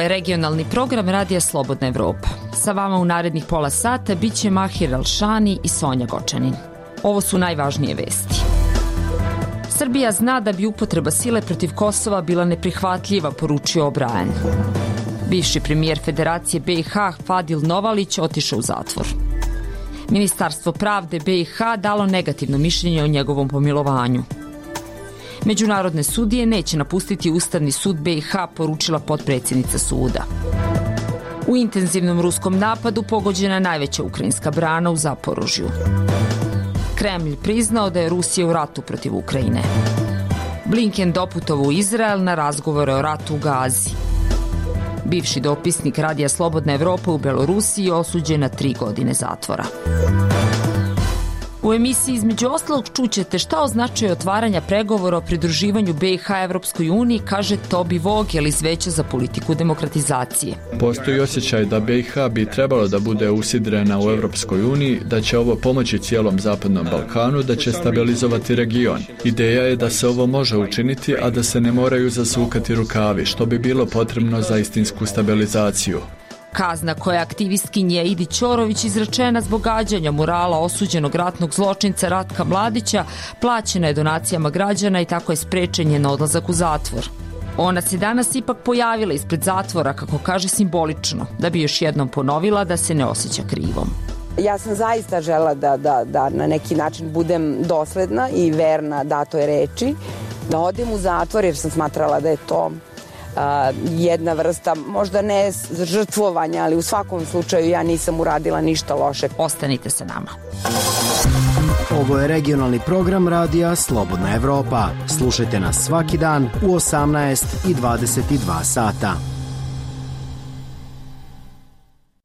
je regionalni program Radija Slobodna Evropa. Sa vama u narednih pola sata bit će Mahir Alšani i Sonja Gočanin. Ovo su najvažnije vesti. Srbija zna da bi upotreba sile protiv Kosova bila neprihvatljiva, poručio O'Brien. Bivši premijer Federacije BiH Fadil Novalić otišao u zatvor. Ministarstvo pravde BiH dalo negativno mišljenje o njegovom pomilovanju. Međunarodne sudije neće napustiti Ustavni sud BiH, poručila potpredsjednica suda. U intenzivnom ruskom napadu pogođena je najveća ukrajinska brana u Zaporožju. Kremlj priznao da je Rusija u ratu protiv Ukrajine. Blinken doputovao u Izrael na razgovore o ratu u Gazi. Bivši dopisnik Radija Slobodna Evropa u Belorusiji osuđen na 3 godine zatvora. U emisiji između ostalog čućete šta označuje otvaranja pregovora o pridruživanju BiH Evropskoj uniji, kaže Tobi Vogel iz Veća za politiku demokratizacije. Postoji osjećaj da BiH bi trebalo da bude usidrena u Evropskoj uniji, da će ovo pomoći cijelom Zapadnom Balkanu, da će stabilizovati region. Ideja je da se ovo može učiniti, a da se ne moraju zasukati rukavi, što bi bilo potrebno za istinsku stabilizaciju. Kazna koja je aktivistkinje Idi Ćorović izrečena zbog gađanja murala osuđenog ratnog zločinca Ratka Mladića plaćena je donacijama građana i tako je sprečen njen odlazak u zatvor. Ona se danas ipak pojavila ispred zatvora, kako kaže, simbolično, da bi još jednom ponovila da se ne osjeća krivom. Ja sam zaista žela da na neki način budem dosledna i verna datoj reči, da odem u zatvor jer sam smatrala da je to jedna vrsta, možda ne žrtvovanja, ali u svakom slučaju ja nisam uradila ništa loše. Ostanite sa nama. Ovo je regionalni program Radija Slobodna Evropa. Slušajte nas svaki dan u 18 i 22 sata.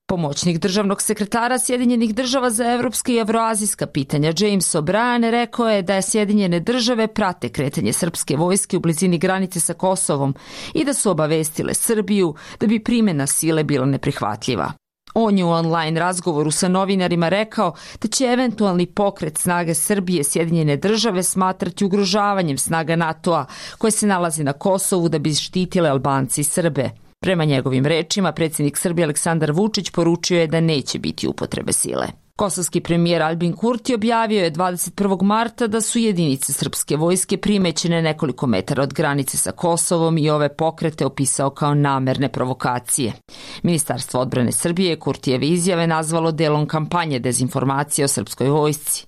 Pomoćnik državnog sekretara Sjedinjenih država za evropska i evroazijska pitanja James O'Brien rekao je da Sjedinjene države prate kretanje srpske vojske u blizini granice sa Kosovom i da su obavestile Srbiju da bi primjena sile bila neprihvatljiva. On je u online razgovoru sa novinarima rekao da će eventualni pokret snage Srbije Sjedinjene države smatrati ugrožavanjem snaga NATO-a koje se nalazi na Kosovu da bi štitile Albanci i Srbe. Prema njegovim rečima, predsjednik Srbije Aleksandar Vučić poručio je da neće biti upotrebe sile. Kosovski premijer Albin Kurti objavio je 21. marta da su jedinice srpske vojske primećene nekoliko metara od granice sa Kosovom i ove pokrete opisao kao namerne provokacije. Ministarstvo odbrane Srbije Kurtijeve izjave nazvalo delom kampanje dezinformacije o srpskoj vojsci.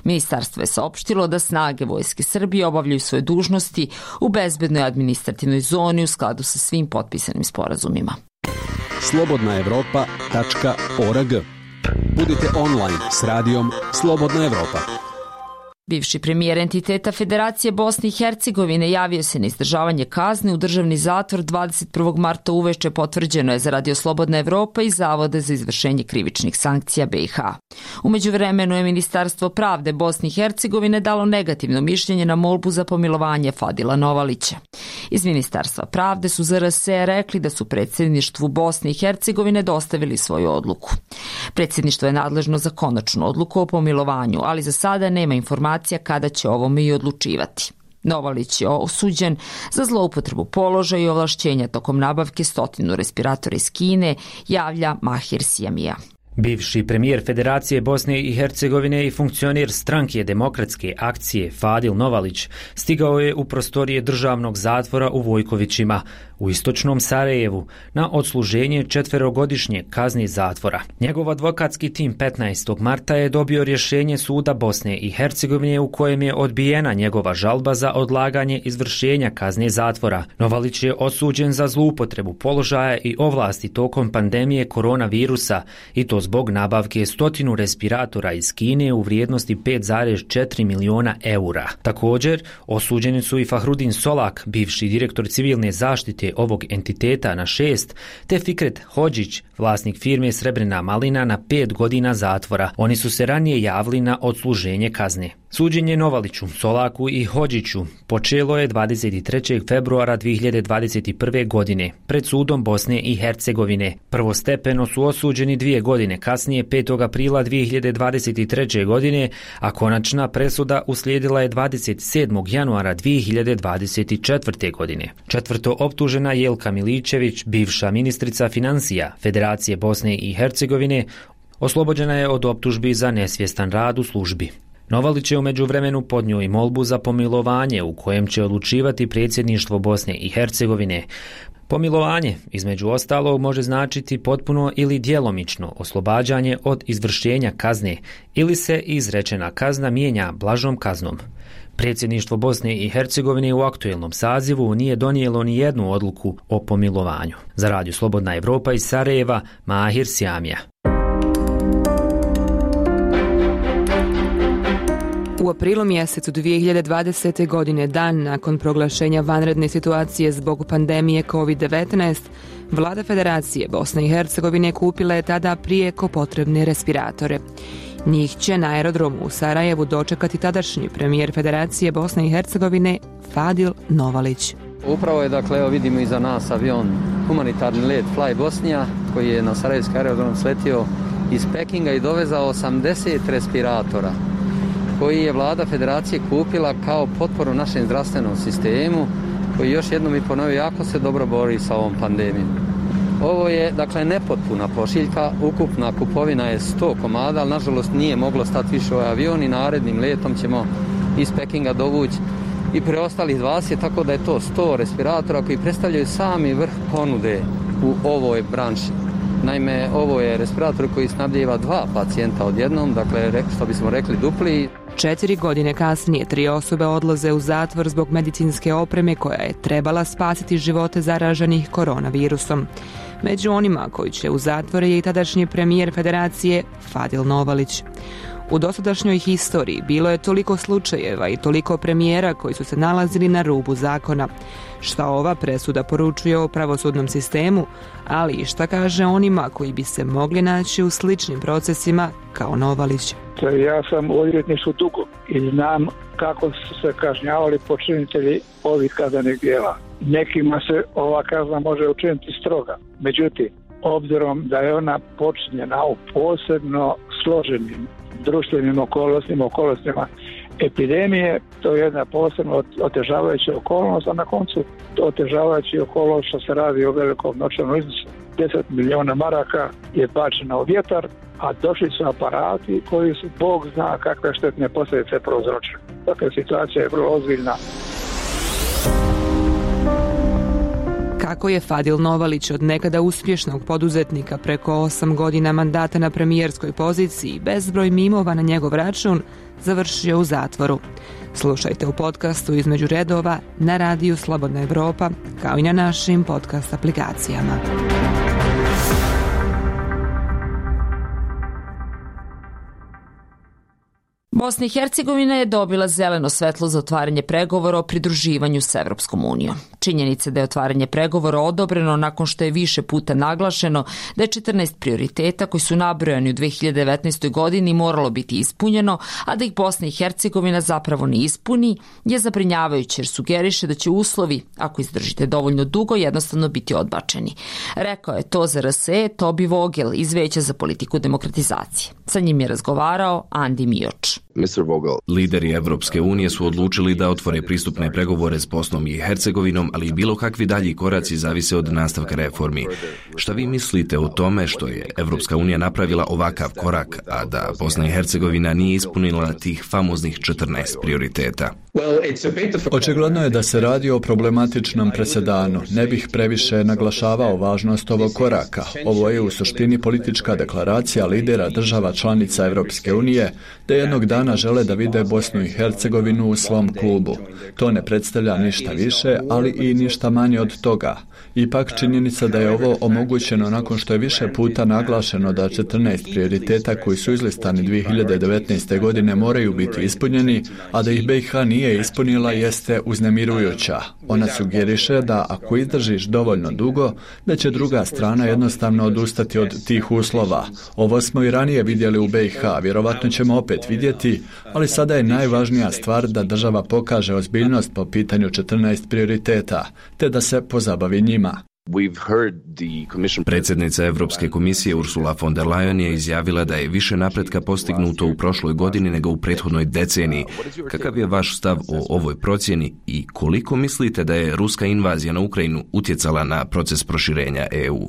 Ministarstvo je saopštilo da snage Vojske Srbije obavljaju svoje dužnosti u bezbednoj administrativnoj zoni u skladu sa svim potpisanim sporazumima. slobodnaevropa.org. Budite online s radijom Slobodna Evropa. Bivši premijer entiteta Federacije Bosne i Hercegovine javio se na izdržavanje kazne u državni zatvor 21. marta uveče, potvrđeno je za Radio Slobodna Evropa i Zavode za izvršenje krivičnih sankcija BiH. U međuvremenu je Ministarstvo pravde Bosne i Hercegovine dalo negativno mišljenje na molbu za pomilovanje Fadila Novalića. Iz Ministarstva pravde su za RS rekli da su predsjedništvu Bosne i Hercegovine dostavili svoju odluku. Predsjedništvo je nadležno za konačnu odluku o pomilovanju, ali za sada nema informacija kada će ovome i odlučivati. Novalić je osuđen za zloupotrebu položaja i ovlašćenja tokom nabavke 100 respiratora iz Kine, javlja Mahir Sijamija. Bivši premijer Federacije Bosne i Hercegovine i funkcioner stranke Demokratske akcije Fadil Novalić stigao je u prostorije državnog zatvora u Vojkovićima u istočnom Sarajevu na odsluženje 4-godišnje kazne zatvora. Njegov advokatski tim 15. marta je dobio rješenje suda Bosne i Hercegovine u kojem je odbijena njegova žalba za odlaganje izvršenja kazne zatvora. Novalić je osuđen za zloupotrebu položaja i ovlasti tokom pandemije koronavirusa i to zbog nabavke 100 respiratora iz Kine u vrijednosti 5,4 miliona eura. Također, osuđeni su i Fahrudin Solak, bivši direktor civilne zaštite ovog entiteta na 6, te Fikret Hodžić, vlasnik firme Srebrna malina na 5 godina zatvora. Oni su se ranije javili na odsluženje kazne. Suđenje Novaliću, Solaku i Hodžiću počelo je 23. februara 2021. godine pred sudom Bosne i Hercegovine. Prvostepeno su osuđeni 2 godine, kasnije 5. aprila 2023. godine, a konačna presuda uslijedila je 27. januara 2024. godine. Četvrto optužena Jelka Miličević, bivša ministrica financija Federacije Bosne i Hercegovine, oslobođena je od optužbi za nesvjestan rad u službi. Novalić je u međuvremenu podnio i molbu za pomilovanje u kojem će odlučivati predsjedništvo Bosne i Hercegovine. Pomilovanje, između ostalog, može značiti potpuno ili djelomično oslobađanje od izvršenja kazne ili se izrečena kazna mijenja blažom kaznom. Predsjedništvo Bosne i Hercegovine u aktuelnom sazivu nije donijelo ni jednu odluku o pomilovanju. Za Radio Slobodna Evropa iz Sarajeva, Mahir Sjamija. U aprilu mjesecu 2020. godine, dan nakon proglašenja vanredne situacije zbog pandemije COVID-19, Vlada Federacije Bosne i Hercegovine kupila je tada prijeko potrebne respiratore. Njih će na aerodromu u Sarajevu dočekati tadašnji premijer Federacije Bosne i Hercegovine Fadil Novalić. Upravo je, dakle, evo vidimo iza nas avion, humanitarni let Fly Bosnija, koji je na Sarajevski aerodrom sletio iz Pekinga i dovezao 80 respiratora, koji je Vlada Federacije kupila kao potporu našem zdravstvenom sistemu, koji još jednom i ponovio jako se dobro bori sa ovom pandemijom. Ovo je, dakle, nepotpuna pošiljka, ukupna kupovina je 100 komada, ali nažalost nije moglo stati više ovaj avion i narednim letom ćemo iz Pekinga dovući i preostalih 20, tako da je to 100 respiratora koji predstavljaju sami vrh ponude u ovoj branši. Naime, ovo je respirator koji snabdijeva 2 pacijenta odjednom, dakle, što bismo rekli dupli. 4 godine kasnije 3 osobe odlaze u zatvor zbog medicinske opreme koja je trebala spasiti živote zaraženih koronavirusom. Među onima koji će u zatvore je i tadašnji premijer Federacije Fadil Novalić. U dosadašnjoj historiji bilo je toliko slučajeva i toliko premijera koji su se nalazili na rubu zakona. Šta ova presuda poručuje o pravosudnom sistemu, ali i šta kaže onima koji bi se mogli naći u sličnim procesima kao Novalić. Ja sam u odvjetništvu dugo i znam kako su se kažnjavali počinitelji ovih kaznenih djela. Nekima se ova kazna može učiniti stroga. Međutim, obzirom da je ona počinjena u posebno složenim društvenim okolnostima epidemije, to je jedna posebno otežavajuća okolnost, a na koncu otežavajuća okolnost što se radi o velikom novčanom iznosu. 10 milijuna maraka je bačeno u vjetar, a došli su aparati koji su, Bog zna kakve štetne posljedice prouzročili. Dakle, situacija je vrlo ozbiljna. Kako je Fadil Novalić od nekada uspješnog poduzetnika preko 8 godina mandata na premijerskoj poziciji bezbroj mimova na njegov račun završio u zatvoru. Slušajte u podcastu Između redova na radiju Slobodna Evropa, kao i na našim podcast aplikacijama. Bosna i Hercegovina je dobila zeleno svetlo za otvaranje pregovora o pridruživanju s Evropskom unijom. Činjenica da je otvaranje pregovora odobreno nakon što je više puta naglašeno da je 14 prioriteta koji su nabrojani u 2019. godini moralo biti ispunjeno, a da ih Bosna i Hercegovina zapravo ne ispuni, je zabrinjavajuće jer sugeriše da će uslovi, ako izdržite dovoljno dugo, jednostavno biti odbačeni. Rekao je to za RSE Tobi Vogel iz Veća za politiku demokratizacije. Sa njim je razgovarao Andi Mioč. Lideri Evropske unije su odlučili da otvore pristupne pregovore s Bosnom i Hercegovinom, ali i bilo kakvi dalji koraci zavise od nastavka reformi. Šta vi mislite o tome što je Evropska unija napravila ovakav korak, a da Bosna i Hercegovina nije ispunila tih famoznih 14 prioriteta? Očigledno je da se radi o problematičnom presedanu. Ne bih previše naglašavao važnost ovog koraka. Ovo je u suštini politička deklaracija lidera država članica Evropske unije da jednog dana žele da vide Bosnu i Hercegovinu u svom klubu. To ne predstavlja ništa više, ali i ništa manje od toga. Ipak činjenica da je ovo omogućeno nakon što je više puta naglašeno da 14 prioriteta koji su izlistani 2019. godine moraju biti ispunjeni, a da ih BiH nije ispunila jeste uznemirujuća. Ona sugeriše da ako izdržiš dovoljno dugo, da će druga strana jednostavno odustati od tih uslova. Ovo smo i ranije vidjeli u BiH, vjerovatno ćemo opet vidjeti, ali sada je najvažnija stvar da država pokaže ozbiljnost po pitanju 14 prioriteta, te da se pozabavi njima. Predsjednica Europske komisije Ursula von der Leyen je izjavila da je više napretka postignuto u prošloj godini nego u prethodnoj deceniji. Kakav je vaš stav o ovoj procjeni i koliko mislite da je ruska invazija na Ukrajinu utjecala na proces proširenja EU?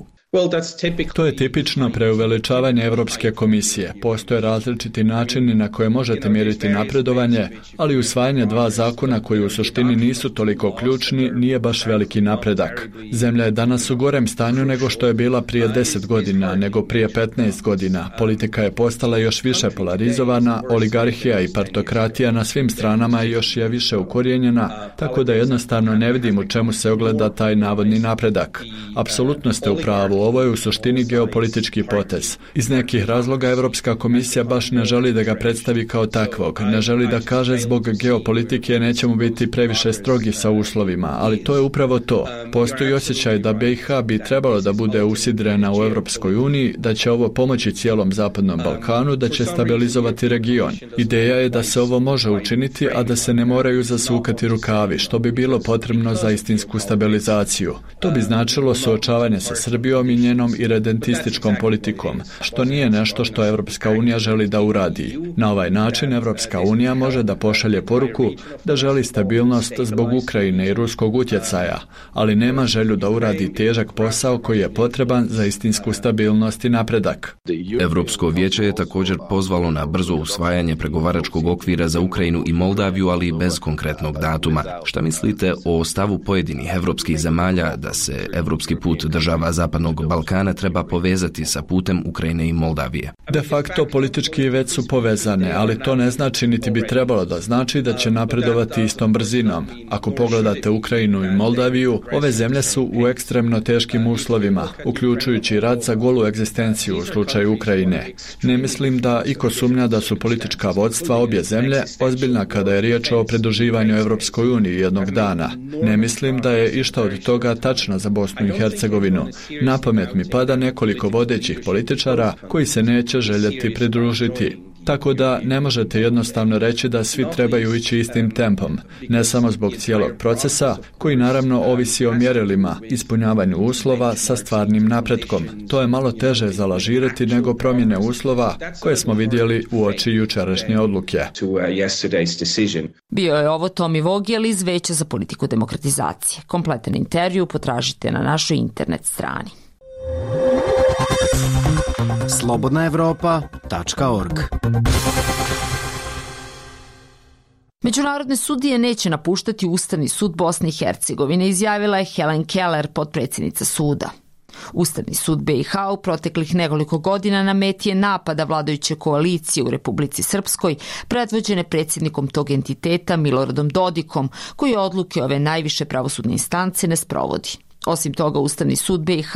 To je tipično preuveličavanje Europske komisije. Postoje različiti načini na koje možete mjeriti napredovanje, ali usvajanje 2 zakona koji u suštini nisu toliko ključni nije baš veliki napredak. Zemlja je danas u gorem stanju nego što je bila prije 10 godina, nego prije 15 godina. Politika je postala još više polarizovana, oligarhija i partokratija na svim stranama još je više ukorijenjena, tako da jednostavno ne vidim u čemu se ogleda taj navodni napredak. Apsolutno ste u pravu. Ovo je u suštini geopolitički potez. Iz nekih razloga Europska komisija baš ne želi da ga predstavi kao takvog. Ne želi da kaže zbog geopolitike nećemo biti previše strogi sa uslovima, ali to je upravo to. Postoji osjećaj da BiH bi trebalo da bude usidrena u Europskoj uniji, da će ovo pomoći cijelom Zapadnom Balkanu, da će stabilizovati region. Ideja je da se ovo može učiniti, a da se ne moraju zasukati rukavi, što bi bilo potrebno za istinsku stabilizaciju. To bi značilo suočavanje sa Srbijom i njenom iredentističkom politikom, što nije nešto što Europska unija želi da uradi. Na ovaj način Europska unija može da pošalje poruku da želi stabilnost zbog Ukrajine i ruskog utjecaja, ali nema želju da uradi težak posao koji je potreban za istinsku stabilnost i napredak. Europsko vijeće je također pozvalo na brzo usvajanje pregovaračkog okvira za Ukrajinu i Moldaviju, ali bez konkretnog datuma. Šta mislite o stavu pojedinih evropskih zemalja da se evropski put država Zapadnog Balkana treba povezati sa putem Ukrajine i Moldavije? De facto politički već su povezane, ali to ne znači niti bi trebalo da znači da će napredovati istom brzinom. Ako pogledate Ukrajinu i Moldaviju, ove zemlje su u ekstremno teškim uslovima, uključujući rat za golu egzistenciju u slučaju Ukrajine. Ne mislim da iko sumnja da su politička vodstva obje zemlje ozbiljna kada je riječ o pridruživanju Europskoj uniji jednog dana. Ne mislim da je išta od toga tačno za Bosnu i Hercegovinu. Na pamet mi pada nekoliko vodećih političara koji se neće željeti pridružiti. Tako da ne možete jednostavno reći da svi trebaju ići istim tempom, ne samo zbog cijelog procesa, koji naravno ovisi o mjerilima, ispunjavanju uslova sa stvarnim napretkom. To je malo teže zalažirati nego promjene uslova koje smo vidjeli uoči jučerašnje odluke. Bio je ovo Tomi Vogel iz Veća za politiku demokratizacije. Kompletan intervju potražite na našoj internet strani. slobodnaevropa.org. Međunarodne sudije neće napuštati Ustavni sud Bosne i Hercegovine, izjavila je Helen Keller, potpredsjednica suda. Ustavni sud BiH u proteklih nekoliko godina na meti je napada vladajuće koalicije u Republici Srpskoj, predvođene predsjednikom tog entiteta Miloradom Dodikom, koji odluke ove najviše pravosudne instance ne sprovodi. Osim toga, Ustavni sud BiH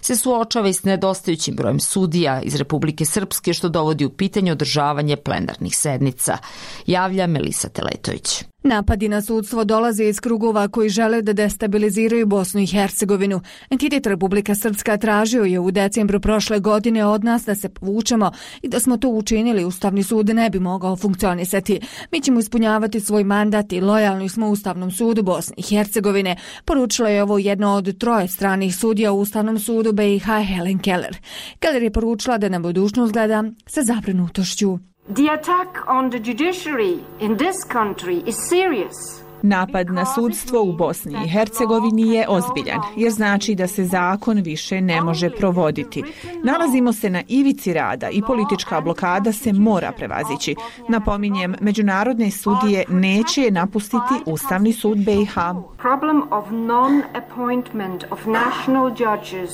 se suočava i s nedostajućim brojem sudija iz Republike Srpske, što dovodi u pitanje održavanje plenarnih sednica, javlja Melisa Teletović. Napadi na sudstvo dolaze iz krugova koji žele da destabiliziraju Bosnu i Hercegovinu. Entitet Republika Srpska tražio je u decembru prošle godine od nas da se povučemo i da smo to učinili, Ustavni sud ne bi mogao funkcionisati. Mi ćemo ispunjavati svoj mandat i lojalni smo Ustavnom sudu Bosne i Hercegovine, poručila je ovo jedno od 3 stranih sudija u Ustavnom sudu BiH Helen Keller. Keller je poručila da na budućnost gleda sa zabrinutošću. The attack on the judiciary in this country is serious. Napad na sudstvo u Bosni i Hercegovini je ozbiljan, jer znači da se zakon više ne može provoditi. Nalazimo se na ivici rada i politička blokada se mora prevazići. Napominjem, međunarodne sudije neće napustiti Ustavni sud BiH. Problem of non-appointment of national judges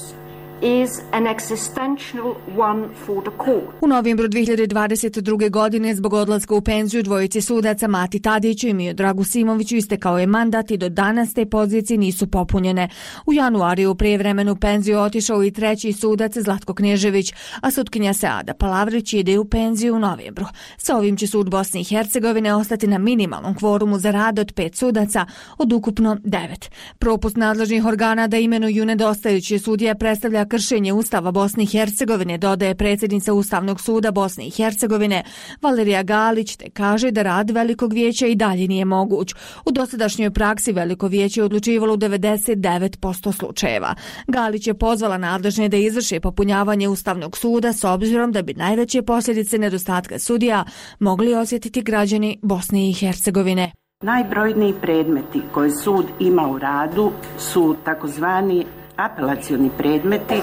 is an existential one for the court. U novembru 2022. godine zbog odlaska u penziju dvojici sudaca Mati Tadiću i Miodragu Simoviću istekao je mandat i do danas te pozicije nisu popunjene. U januariju u prijevremenu penziju otišao i treći sudac Zlatko Knežević, a sutkinja Seada Palavrić ide u penziju u novembru. Sa ovim će sud Bosne i Hercegovine ostati na minimalnom kvorumu za rad od 5 sudaca od ukupno 9. Propust nadležnih organa da imenuju nedostajuće sudije predstavlja kršenje Ustava Bosne i Hercegovine, dodaje predsjednica Ustavnog suda Bosne i Hercegovine Valerija Galić, te kaže da rad Velikog vijeća i dalje nije moguć. U dosadašnjoj praksi Veliko vijeće je odlučivalo u 99% slučajeva. Galić je pozvala nadležne da izvrše popunjavanje Ustavnog suda s obzirom da bi najveće posljedice nedostatka sudija mogli osjetiti građani Bosne i Hercegovine. Najbrojniji predmeti koje sud ima u radu su takozvani apelacioni predmeti,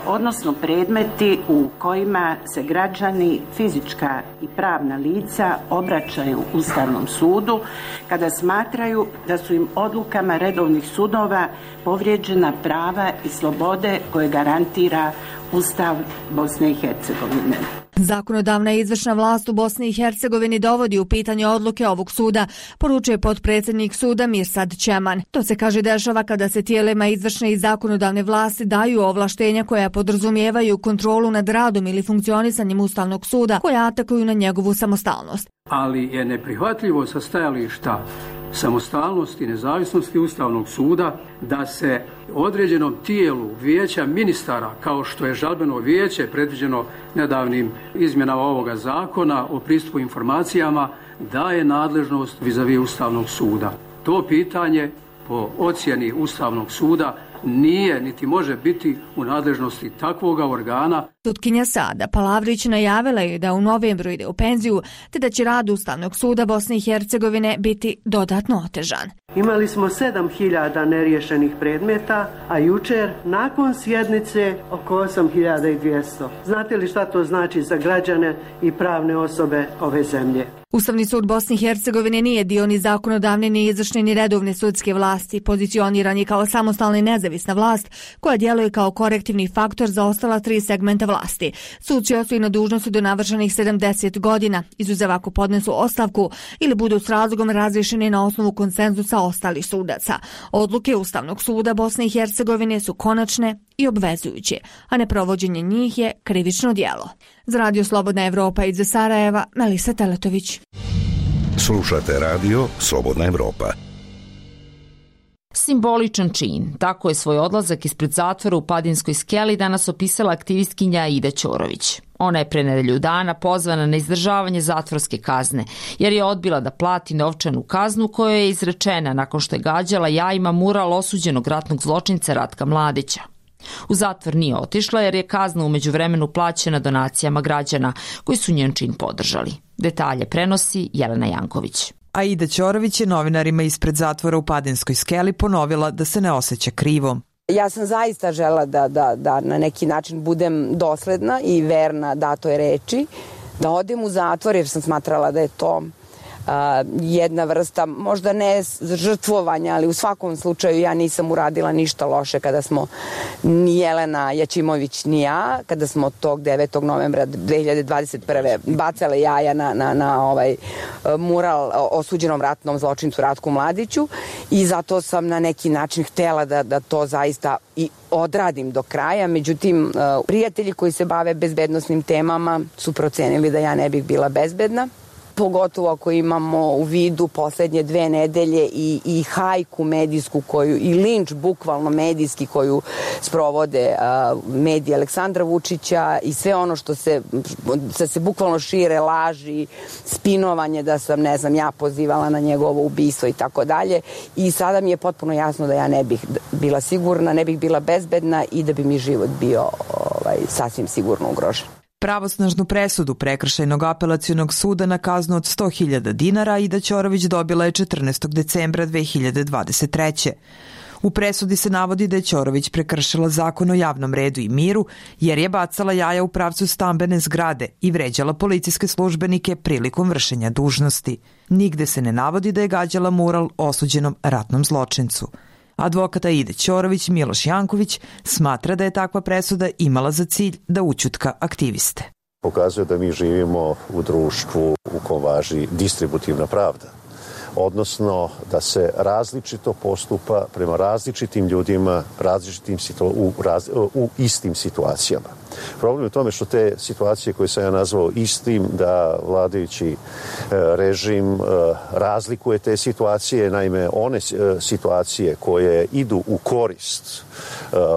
odnosno predmeti u kojima se građani, fizička i pravna lica obraćaju Ustavnom sudu kada smatraju da su im odlukama redovnih sudova povrijeđena prava i slobode koje garantira Ustav Bosne i Hercegovine. Zakonodavna i izvršna vlast u Bosni i Hercegovini dovodi u pitanje odluke ovog suda, poručuje potpredsjednik suda Mirsad Čeman. To se kaže dešava kada se tijelima izvršne i zakonodavne vlasti daju ovlaštenja koja podrazumijevaju kontrolu nad radom ili funkcionisanjem Ustavnog suda, koja atakuju na njegovu samostalnost. Ali je neprihvatljivo sa stajališta samostalnosti i nezavisnosti Ustavnog suda da se određenom tijelu vijeća ministara, kao što je žalbeno vijeće predviđeno nedavnim izmjenama ovoga zakona o pristupu informacijama, daje nadležnost vis-a-vis Ustavnog suda. To pitanje po ocjeni Ustavnog suda nije niti može biti u nadležnosti takvoga organa. Sutkinja Seada Palavrić najavila je da u novembru ide u penziju, te da će rad Ustavnog suda Bosne i Hercegovine biti dodatno otežan. Imali smo 7.000 neriješenih predmeta, a jučer nakon sjednice oko 8.200. Znate li šta to znači za građane i pravne osobe ove zemlje? Ustavni sud Bosne i Hercegovine nije dio ni zakonodavne, ni izvršne, ni redovne sudske vlasti. Pozicioniran je kao samostalna i nezavisna vlast koja djeluje kao korektivni faktor za ostala 3 segmenta vlasti. Suci ostaju na dužnosti do navršenih 70 godina, izuzev ako podnesu ostavku ili budu s razlogom razrješeni na osnovu konsenzusa ostalih sudaca. Odluke Ustavnog suda Bosne i Hercegovine su konačne i obvezujuće, a neprovođenje njih je krivično djelo. Za Radio Slobodna Evropa iz Sarajeva, Melisa Teletović. Slušate Radio Slobodna Evropa. Simboličan čin, tako je svoj odlazak ispred zatvora u Padinskoj skeli danas opisala aktivistkinja Aida Ćorović. Ona je pre nedelju dana pozvana na izdržavanje zatvorske kazne, jer je odbila da plati novčanu kaznu koja je izrečena nakon što je gađala jajima mural osuđenog ratnog zločinca Ratka Mladića. U zatvor nije otišla jer je kazna u međuvremenu plaćena donacijama građana koji su njen čin podržali. Detalje prenosi Jelena Janković. Aida Ćorović je novinarima ispred zatvora u Padinskoj skeli ponovila da se ne osjeća krivom. Ja sam zaista žela da na neki način budem dosledna i verna datoj reči, da odem u zatvor jer sam smatrala da je to jedna vrsta, možda ne žrtvovanja, ali u svakom slučaju ja nisam uradila ništa loše kada smo ni Jelena Jačimović ni ja, kada smo tog 9. novembra 2021. bacale jaja na ovaj mural osuđenom ratnom zločincu Ratku Mladiću i zato sam na neki način htjela da to zaista i odradim do kraja. Međutim, prijatelji koji se bave bezbednosnim temama su procenili da ja ne bih bila bezbedna. Pogotovo ako imamo u vidu poslednje 2 nedelje i hajku medijsku i linč bukvalno medijski koju sprovode mediji Aleksandra Vučića i sve ono što se bukvalno šire, laži, spinovanje da sam, ne znam, ja pozivala na njegovo ubistvo i tako dalje. I sada mi je potpuno jasno da ja ne bih bila sigurna, ne bih bila bezbedna i da bi mi život bio sasvim sigurno ugrožen. Pravosnažnu presudu Prekršajnog apelacionog suda na kaznu od 100.000 dinara Aida Ćorović dobila je 14. decembra 2023. U presudi se navodi da je Ćorović prekršila zakon o javnom redu i miru jer je bacala jaja u pravcu stambene zgrade i vređala policijske službenike prilikom vršenja dužnosti. Nigde se ne navodi da je gađala mural osuđenom ratnom zločincu. Advokat Aide Ćorović Miloš Janković smatra da je takva presuda imala za cilj da ućutka aktiviste. Pokazuje da mi živimo u društvu u kom važi distributivna pravda, odnosno da se različito postupa prema različitim ljudima, u istim situacijama. Problem je u tome što te situacije koje sam ja nazvao istim, da vladajući režim razlikuje te situacije, naime one situacije koje idu u korist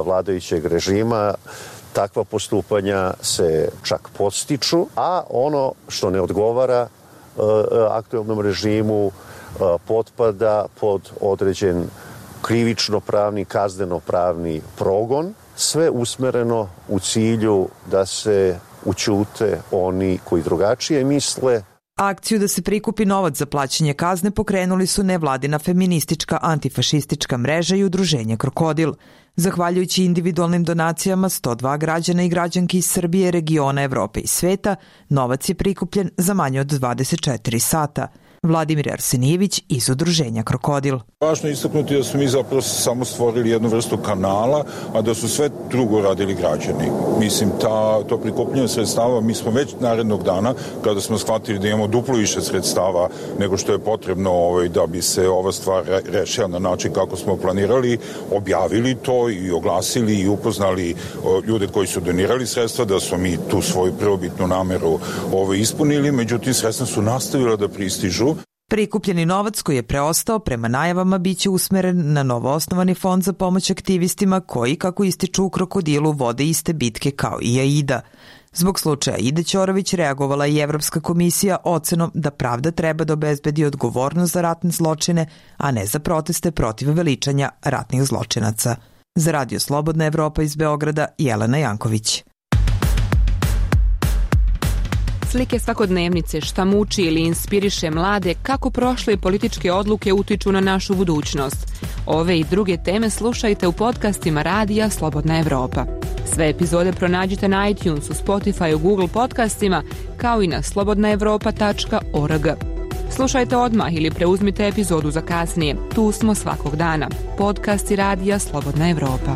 vladajućeg režima, takva postupanja se čak podstiču, a ono što ne odgovara aktuelnom režimu potpada pod određen krivično-pravni, kazneno-pravni progon, sve usmereno u cilju da se ućute oni koji drugačije misle. Akciju da se prikupi novac za plaćanje kazne pokrenuli su nevladina feministička antifašistička mreža i udruženje Krokodil. Zahvaljujući individualnim donacijama 102 građana i građanki iz Srbije, regiona, Evrope i sveta, novac je prikupljen za manje od 24 sata. Vladimir Arsenijević iz udruženja Krokodil. Važno je istaknuti da smo mi zapravo samo stvorili jednu vrstu kanala, a da su sve drugo radili građani. Mislim, to prikupljanje sredstava, mi smo već narednog dana, kada smo shvatili da imamo duplo više sredstava nego što je potrebno da bi se ova stvar rešila na način kako smo planirali, objavili to i oglasili i upoznali ljude koji su donirali sredstva, da smo mi tu svoju prvobitnu nameru ispunili, međutim sredstva su nastavila da pristižu. Prikupljeni novac koji je preostao prema najavama biće usmeren na novoosnovani fond za pomoć aktivistima koji, kako ističu u Krokodilu, vode iste bitke kao i Aida. Zbog slučaja Aide Ćorović reagovala i Evropska komisija ocenom da pravda treba da obezbedi odgovornost za ratne zločine, a ne za proteste protiv veličanja ratnih zločinaca. Za Radio Slobodna Evropa iz Beograda, Jelena Janković. Slike svakodnevnice, šta muči ili inspiriše mlade, kako prošle političke odluke utiču na našu budućnost. Ove i druge teme slušajte u podcastima Radija Slobodna Evropa. Sve epizode pronađite na iTunesu, Spotifyu, Google podcastima, kao i na slobodnaevropa.org. Slušajte odmah ili preuzmite epizodu za kasnije. Tu smo svakog dana. Podcasti Radija Slobodna Evropa.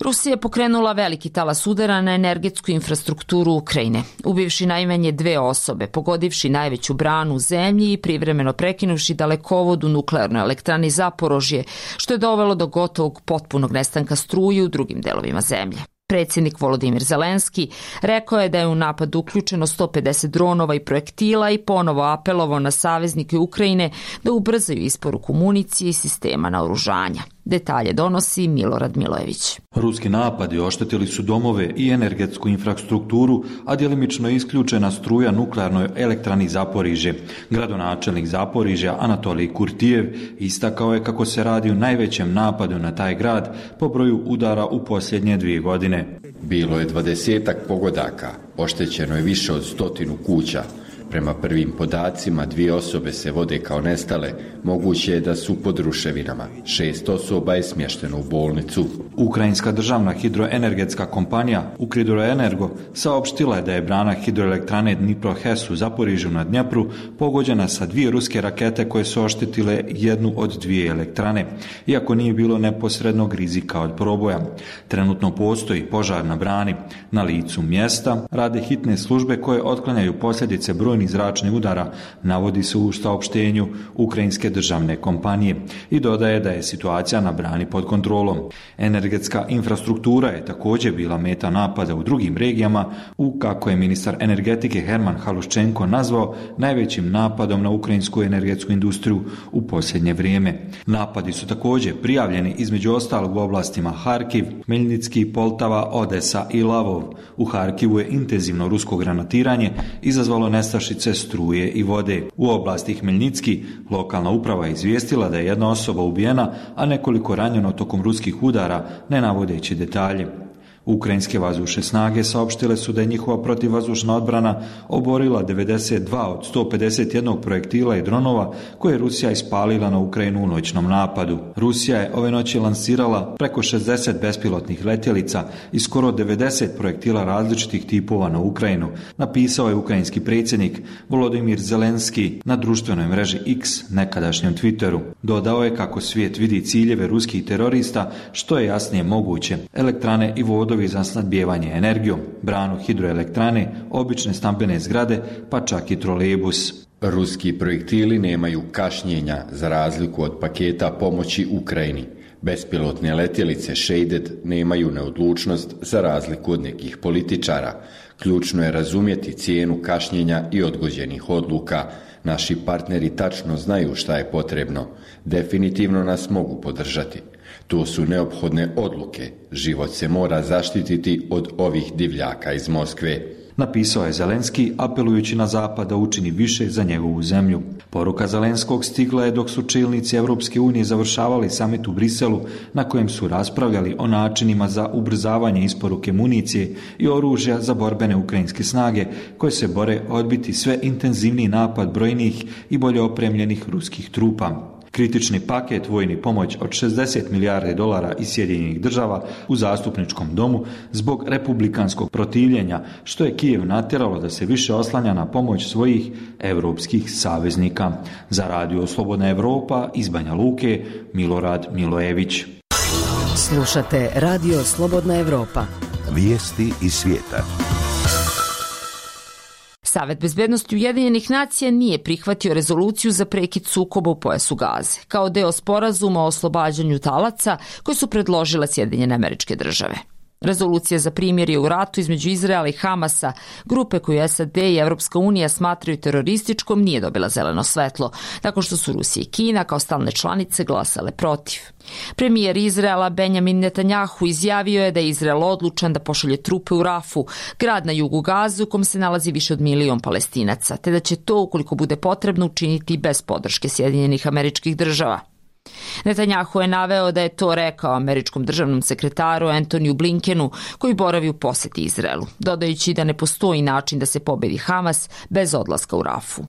Rusija je pokrenula veliki talas udara na energetsku infrastrukturu Ukrajine, ubivši najmanje 2 osobe, pogodivši najveću branu u zemlji i privremeno prekinuvši dalekovod u nuklearnoj elektrani Zaporožje, što je dovelo do gotovog potpunog nestanka struje u drugim delovima zemlje. Predsjednik Volodimir Zelenski rekao je da je u napad uključeno 150 dronova i projektila i ponovo apelovao na saveznike Ukrajine da ubrzaju isporuku municije i sistema naoružanja. Detalje donosi Milorad Milojević. Ruski napadi oštetili su domove i energetsku infrastrukturu, a djelimično je isključena struja nuklearnoj elektrani Zaporižje. Gradonačelnik Zaporižja Anatolij Kurtijev istakao je kako se radi o najvećem napadu na taj grad po broju udara u posljednje 2 godine. Bilo je 20-ak pogodaka, oštećeno je više od 100 kuća. Prema prvim podacima 2 osobe se vode kao nestale, moguće je da su pod ruševinama. 6 osoba je smješteno u bolnicu. Ukrajinska državna hidroenergetska kompanija Ukridroenergo saopštila je da je brana hidroelektrane Dnipro-HES u Zaporižju na Dnjepru pogođena sa 2 ruske rakete koje su oštetile jednu od 2 elektrane, iako nije bilo neposrednog rizika od proboja. Trenutno postoji požar na brani. Na licu mjesta rade hitne službe koje otklanjaju posljedice brojnih zračnih udara, navodi se u saopštenju Ukrajinske državne kompanije i dodaje da je situacija na brani pod kontrolom. Energetska infrastruktura je također bila meta napada u drugim regijama u, kako je ministar energetike Herman Haluščenko nazvao, najvećim napadom na ukrajinsku energetsku industriju u posljednje vrijeme. Napadi su također prijavljeni između ostalog u oblastima Harkiv, Meljnicki, Poltava, Odesa i Lavov. U Harkivu je intenzivno rusko granatiranje izazvalo nestašice struje i vode. U oblasti Hmeljnicki lokalna uprava je izvijestila da je 1 osoba ubijena, a nekoliko ranjeno tokom ruskih udara, ne navodeći detalje. Ukrajinske vazdušne snage saopštile su da je njihova protivvazdušna odbrana oborila 92 od 151 projektila i dronova koje je Rusija ispalila na Ukrajinu u noćnom napadu. Rusija je ove noći lansirala preko 60 bespilotnih letjelica i skoro 90 projektila različitih tipova na Ukrajinu, napisao je ukrajinski predsjednik Volodymyr Zelenski na društvenoj mreži X, nekadašnjem Twitteru. Dodao je kako svijet vidi ciljeve ruskih terorista što je jasnije moguće: elektrane i vodovi za snabdijevanje energijom, branu hidroelektrane, obične stambene zgrade, pa čak i trolejbus. Ruski projektili nemaju kašnjenja za razliku od paketa pomoći Ukrajini. Bespilotne letjelice Shaded nemaju neodlučnost za razliku od nekih političara. Ključno je razumjeti cijenu kašnjenja i odgođenih odluka. Naši partneri tačno znaju šta je potrebno. Definitivno nas mogu podržati. To su neophodne odluke. Život se mora zaštititi od ovih divljaka iz Moskve. Napisao je Zelenski, apelujući na Zapad da učini više za njegovu zemlju. Poruka Zelenskog stigla je dok su čelnici Europske unije završavali samit u Briselu, na kojem su raspravljali o načinima za ubrzavanje isporuke municije i oružja za borbene ukrajinske snage, koje se bore odbiti sve intenzivniji napad brojnih i bolje opremljenih ruskih trupa. Kritični paket vojni pomoć od $60 milijardi iz Sjedinjenih država u zastupničkom domu zbog republikanskog protivljenja, što je Kijev natjeralo da se više oslanja na pomoć svojih europskih saveznika. Za Radio Slobodna Evropa iz Banja Luke, Milorad Milojević. Slušate Radio Slobodna Evropa. Vijesti iz svijeta. Savet bezbednosti Ujedinjenih nacija nije prihvatio rezoluciju za prekid sukoba u pojasu Gaze, kao deo sporazuma o oslobađanju talaca koje su predložile Sjedinjene Američke Države. Rezolucija za primirje u ratu između Izraela i Hamasa, grupe koju SAD i Evropska unija smatraju terorističkom, nije dobila zeleno svetlo, tako što su Rusija i Kina kao stalne članice glasale protiv. Premijer Izraela Benjamin Netanjahu izjavio je da je Izrael odlučan da pošalje trupe u Rafu, grad na jugu Gaze u kom se nalazi više od 1 milion Palestinaca, te da će to, ukoliko bude potrebno, učiniti bez podrške Sjedinjenih Američkih Država. Netanjahu je naveo da je to rekao američkom državnom sekretaru Antoniju Blinkenu, koji boravi u posjeti Izraelu, dodajući da ne postoji način da se pobedi Hamas bez odlaska u Rafu.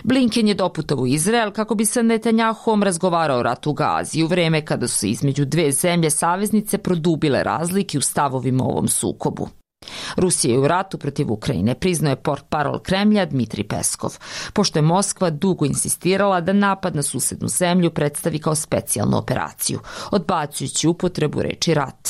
Blinken je doputovao u Izrael kako bi sa Netanjahom razgovarao o ratu u Gazi u vreme kada su između dve zemlje saveznice produbile razlike u stavovima o ovom sukobu. Rusija je u ratu protiv Ukrajine, priznao je portparol Kremlja Dmitrij Peskov, pošto je Moskva dugo insistirala da napad na susednu zemlju predstavi kao specijalnu operaciju, odbacujući upotrebu reči rat.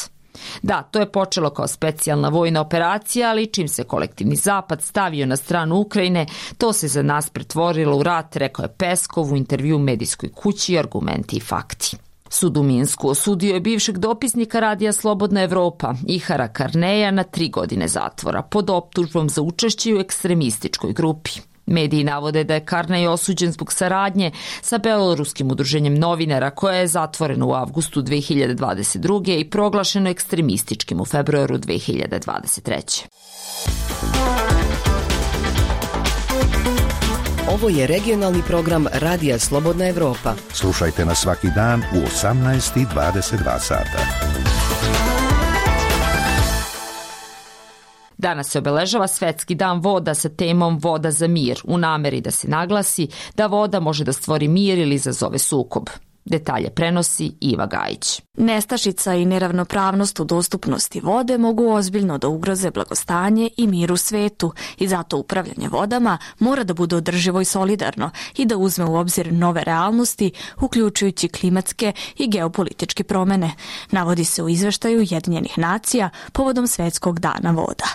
Da, to je počelo kao specijalna vojna operacija, ali čim se kolektivni zapad stavio na stranu Ukrajine, to se za nas pretvorilo u rat, rekao je Peskov u intervju medijskoj kući Argumenti i fakti. Sud u Minsku osudio je bivšeg dopisnika Radija Slobodna Evropa, Ihara Karneja, na 3 godine zatvora pod optužbom za učešće u ekstremističkoj grupi. Mediji navode da je Karnej osuđen zbog saradnje sa beloruskim udruženjem novinara koje je zatvoreno u avgustu 2022. i proglašeno ekstremističkim u februaru 2023. Ovo je regionalni program Radija Slobodna Evropa. Slušajte nas svaki dan u 18:22 sata. Danas se obeležava Svetski dan voda sa temom Voda za mir, u nameri da se naglasi da voda može da stvori mir ili izazove sukob. Detalje prenosi Iva Gajić. Nestašica i neravnopravnost u dostupnosti vode mogu ozbiljno da ugroze blagostanje i mir u svetu i zato upravljanje vodama mora da bude održivo i solidarno i da uzme u obzir nove realnosti, uključujući klimatske i geopolitičke promene, navodi se u izveštaju Ujedinjenih nacija povodom Svetskog dana voda.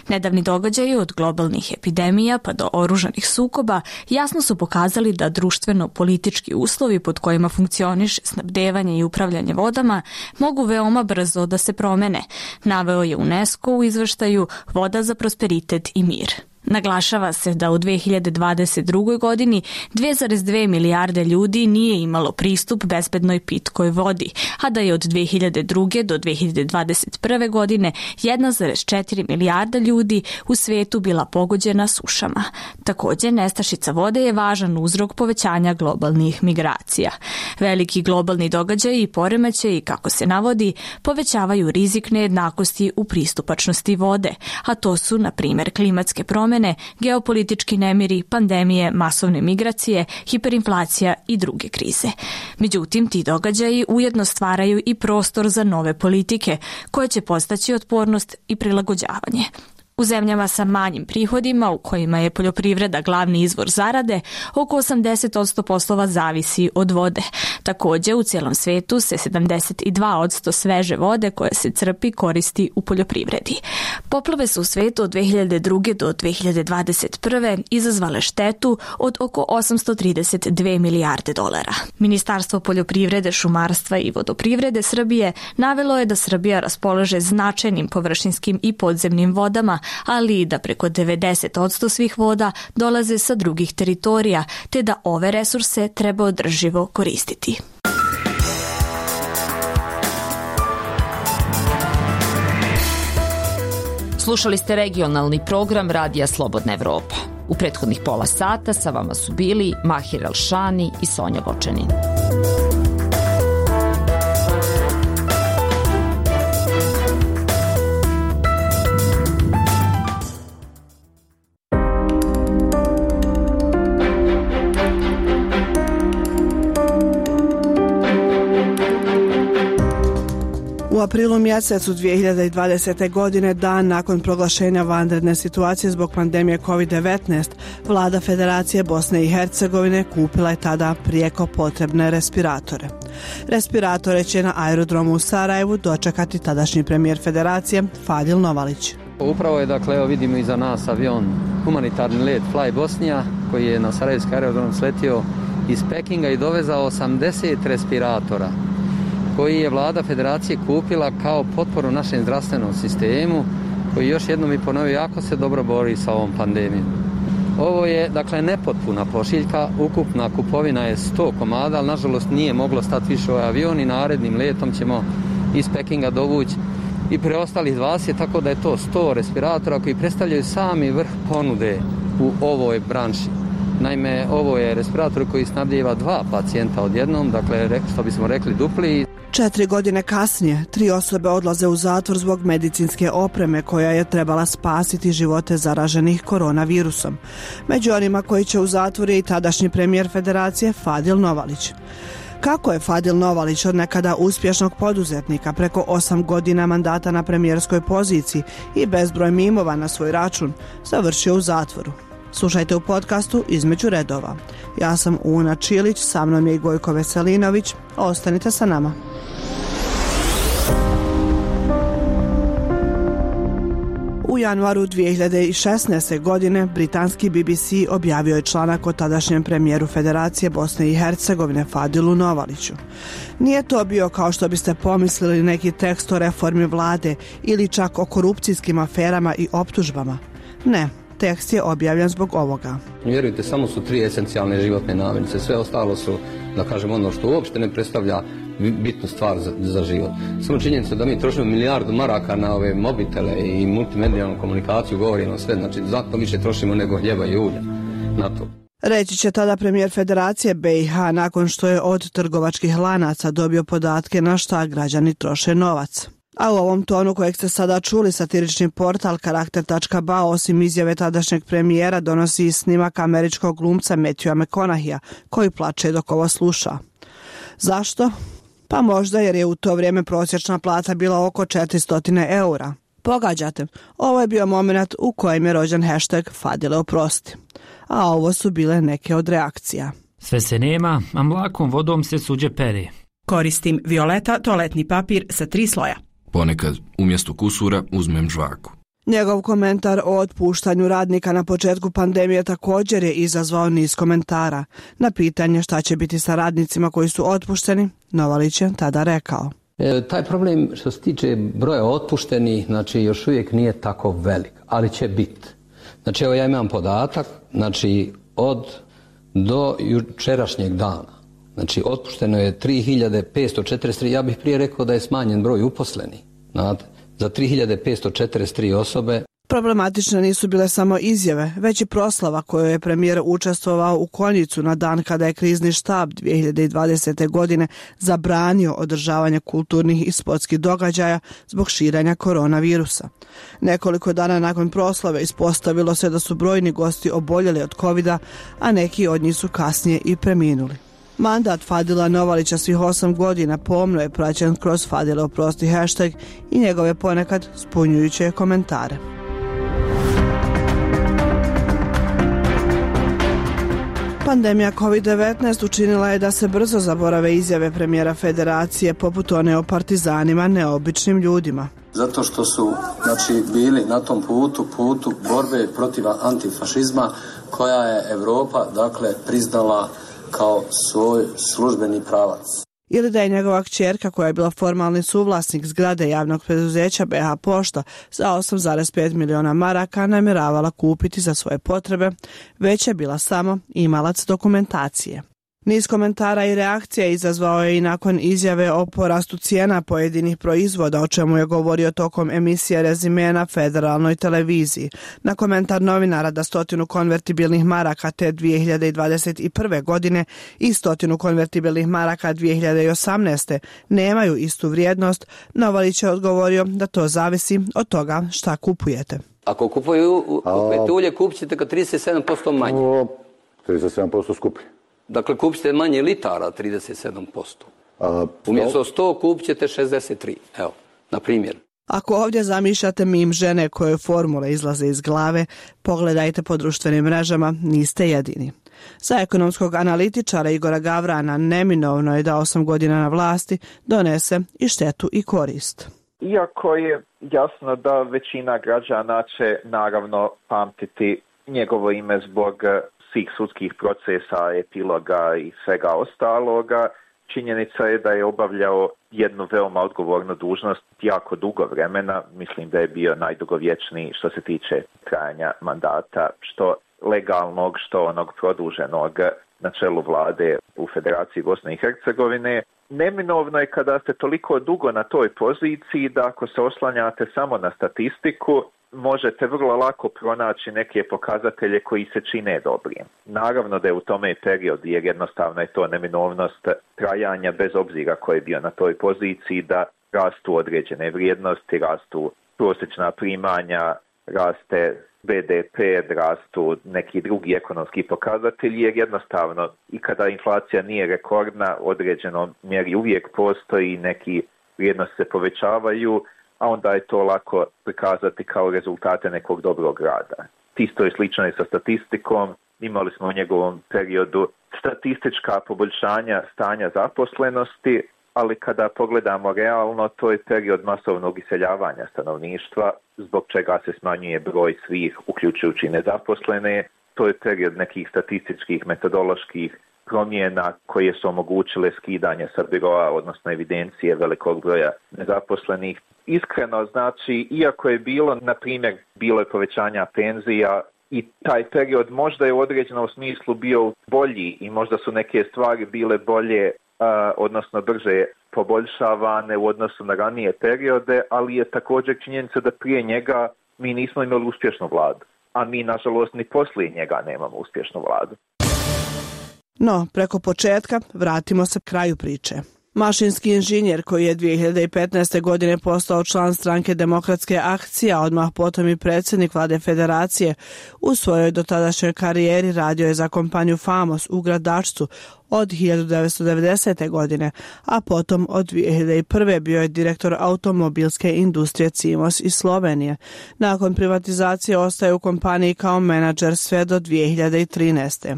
Nedavni događaji od globalnih epidemija pa do oružanih sukoba jasno su pokazali da društveno-politički uslovi pod kojima funkcioniše snabdevanje i upravljanje vodama mogu veoma brzo da se promene, naveo je UNESCO u izveštaju Voda za prosperitet i mir. Naglašava se da u 2022. godini 2,2 milijarde ljudi nije imalo pristup bezbednoj pitkoj vodi, a da je od 2002. do 2021. godine 1,4 milijarda ljudi u svetu bila pogođena sušama. Također, nestašica vode je važan uzrok povećanja globalnih migracija. Veliki globalni događaji i poremećaji, kako se navodi, povećavaju rizik nejednakosti u pristupačnosti vode, a to su, na primjer, klimatske promjene, geopolitički nemiri, pandemije, masovne migracije, hiperinflacija i druge krize. Međutim, ti događaji ujedno stvaraju i prostor za nove politike koje će postaći otpornost i prilagođavanje. U zemljama sa manjim prihodima, u kojima je poljoprivreda glavni izvor zarade, oko 80% poslova zavisi od vode. Također, u cijelom svetu se 72% sveže vode koja se crpi koristi u poljoprivredi. Poplave su u svetu od 2002. do 2021. izazvale štetu od oko 832 milijarde dolara. Ministarstvo poljoprivrede, šumarstva i vodoprivrede Srbije navelo je da Srbija raspolaže značajnim površinskim i podzemnim vodama, ali i da preko 90% svih voda dolaze sa drugih teritorija, te da ove resurse treba održivo koristiti. Slušali ste regionalni program Radija Slobodna Evropa. U prethodnih pola sata sa vama su bili Mahir Elšani i Sonja Vočanin. U aprilu mjesecu 2020. godine, dan nakon proglašenja vanredne situacije zbog pandemije COVID-19, vlada Federacije Bosne i Hercegovine kupila je tada prijeko potrebne respiratore. Respiratore će na aerodromu u Sarajevu dočekati tadašnji premijer Federacije Fadil Novalić. Upravo je, dakle, evo vidimo iza nas avion, humanitarni let Fly Bosnija, koji je na Sarajevski aerodrom sletio iz Pekinga i dovezao 80 respiratora, koji je vlada Federacije kupila kao potporu našem zdravstvenom sistemu, koji, još jednom mi ponovio, jako se dobro bori sa ovom pandemijom. Ovo je, dakle, nepotpuna pošiljka, ukupna kupovina je 100 komada, ali nažalost nije moglo stati više ovaj avion i narednim letom ćemo iz Pekinga dovući i preostalih 20, tako da je to 100 respiratora koji predstavljaju sami vrh ponude u ovoj branši. Naime, ovo je respirator koji snabdijeva 2 pacijenta odjednom, dakle, što bismo rekli dupli. 4 godine kasnije, 3 osobe odlaze u zatvor zbog medicinske opreme koja je trebala spasiti živote zaraženih koronavirusom. Među onima koji će u zatvor je i tadašnji premijer Federacije Fadil Novalić. Kako je Fadil Novalić od nekada uspješnog poduzetnika preko 8 godina mandata na premijerskoj poziciji i bezbroj mimova na svoj račun završio u zatvoru? Slušajte u podcastu Između redova. Ja sam Una Čilić, sa mnom je i Gojko Veselinović. Ostanite sa nama. U januaru 2016. godine britanski BBC objavio je članak o tadašnjem premijeru Federacije Bosne i Hercegovine Fadilu Novaliću. Nije to bio, kao što biste pomislili, neki tekst o reformi vlade ili čak o korupcijskim aferama i optužbama. Ne. Tekst je objavljen zbog ovoga. Vjerujte, samo su 3 esencijalne životne namirnice, sve ostalo su, da kažem, ono što uopšte ne predstavlja bitnu stvar za život. Samo činjenica da mi trošimo milijardu maraka na ove mobitele i multimedijalnu komunikaciju govori nam sve, znači zato više trošimo nego hljeba i ulja na to. Reći će tada premijer Federacije BiH nakon što je od trgovačkih lanaca dobio podatke na šta građani troše novac. A u ovom tonu kojeg ste sada čuli, satirični portal Karakter.ba osim izjave tadašnjeg premijera donosi i snimak američkog glumca Matthewa McConaugheyja koji plače dok ovo sluša. Zašto? Pa možda jer je u to vrijeme prosječna plata bila oko 400 eura. Pogađate, ovo je bio moment u kojem je rođen hashtag Fadile oprosti. A ovo su bile neke od reakcija. Sve se nema, a mlakom vodom se suđe pere. Koristim Violeta toaletni papir sa 3 sloja. Ponekad umjesto kusura uzmem žvaku. Njegov komentar o otpuštanju radnika na početku pandemije također je izazvao niz komentara. Na pitanje šta će biti sa radnicima koji su otpušteni, Novalić je tada rekao. Taj problem što se tiče broja otpuštenih, znači još uvijek nije tako velik, ali će biti. Znači evo ja imam podatak, znači do jučerašnjeg dana, znači otpušteno je 3543, ja bih prije rekao da je smanjen broj uposlenih, znate, za 3543 osobe. Problematične nisu bile samo izjave, već i proslava kojoj je premijer učestvovao u Konjicu na dan kada je krizni štab 2020. godine zabranio održavanje kulturnih i sportskih događaja zbog širenja koronavirusa. Nekoliko dana nakon proslave ispostavilo se da su brojni gosti oboljeli od covida, a neki od njih su kasnije i preminuli. Mandat Fadila Novalića svih 8 godina pomno je praćen kroz Fadile oprosti hashtag i njegove ponekad zbunjujuće komentare. Pandemija COVID-19 učinila je da se brzo zaborave izjave premijera federacije poput one o partizanima, neobičnim ljudima. Zato što su bili na tom putu borbe protiv antifašizma koja je Europa priznala kao svoj službeni pravac. Ili da je njegova kćerka, koja je bila formalni suvlasnik zgrade javnog preduzeća BH Pošta, za 8,5 miliona maraka namjeravala kupiti za svoje potrebe, već je bila samo imalac dokumentacije. Niz komentara i reakcija izazvao je i nakon izjave o porastu cijena pojedinih proizvoda, o čemu je govorio tokom emisije Rezime na federalnoj televiziji. Na komentar novinara da 100 konvertibilnih maraka te 2021. godine i 100 konvertibilnih maraka 2018. nemaju istu vrijednost, Novalić je odgovorio da to zavisi od toga šta kupujete. Ako kupujete ulje, kupit ćete ga 37% manje. 37% skuplje. Dakle, kupit ćete manje litara 37%. Umjesto 100 kupit ćete 63. Evo, na primjer. Ako ovdje zamišljate mim žene koje formule izlaze iz glave, pogledajte po društvenim mrežama, niste jedini. Za ekonomskog analitičara Igora Gavrana neminovno je da 8 godina na vlasti donese i štetu i korist. Iako je jasno da većina građana će naravno pamtiti njegovo ime zbog svih sudskih procesa, epiloga i svega ostaloga, činjenica je da je obavljao jednu veoma odgovornu dužnost jako dugo vremena. Mislim da je bio najdugovječniji što se tiče trajanja mandata, što legalnog, što onog produženog na čelu vlade u Federaciji Bosne i Hercegovine. Neminovno je kada ste toliko dugo na toj poziciji da ako se oslanjate samo na statistiku, možete vrlo lako pronaći neke pokazatelje koji se čine dobrim. Naravno da je u tome period, jer jednostavno je to neminovnost trajanja bez obzira ko je bio na toj poziciji, da rastu određene vrijednosti, rastu prosječna primanja, raste BDP, rastu neki drugi ekonomski pokazatelji, jer jednostavno i kada inflacija nije rekordna, određenom mjeri uvijek postoji, neki vrijednosti se povećavaju, a onda je to lako prikazati kao rezultate nekog dobrog rada. Isto je slično i sa statistikom. Imali smo u njegovom periodu statistička poboljšanja stanja zaposlenosti, ali kada pogledamo realno, to je period masovnog iseljavanja stanovništva, zbog čega se smanjuje broj svih, uključujući nezaposlene. To je period nekih statističkih, metodoloških promjena koje su omogućile skidanje sa biroa, odnosno evidencije velikog broja nezaposlenih. Iskreno, znači, iako je bilo, na primjer, bilo je povećanja penzija i taj period možda je u određenom smislu bio bolji i možda su neke stvari bile bolje, odnosno brže poboljšavane u odnosu na ranije periode, ali je također činjenica da prije njega mi nismo imali uspješnu vladu, a mi, nažalost, ni poslije njega nemamo uspješnu vladu. No, preko početka vratimo se kraju priče. Mašinski inženjer koji je 2015. godine postao član stranke Demokratske akcije, a odmah potom i predsjednik vlade federacije, u svojoj dotadašnjoj karijeri radio je za kompaniju Famos u Gradačcu od 1990. godine, a potom od 2001. bio je direktor automobilske industrije Cimos iz Slovenije. Nakon privatizacije ostaje u kompaniji kao menadžer sve do 2013.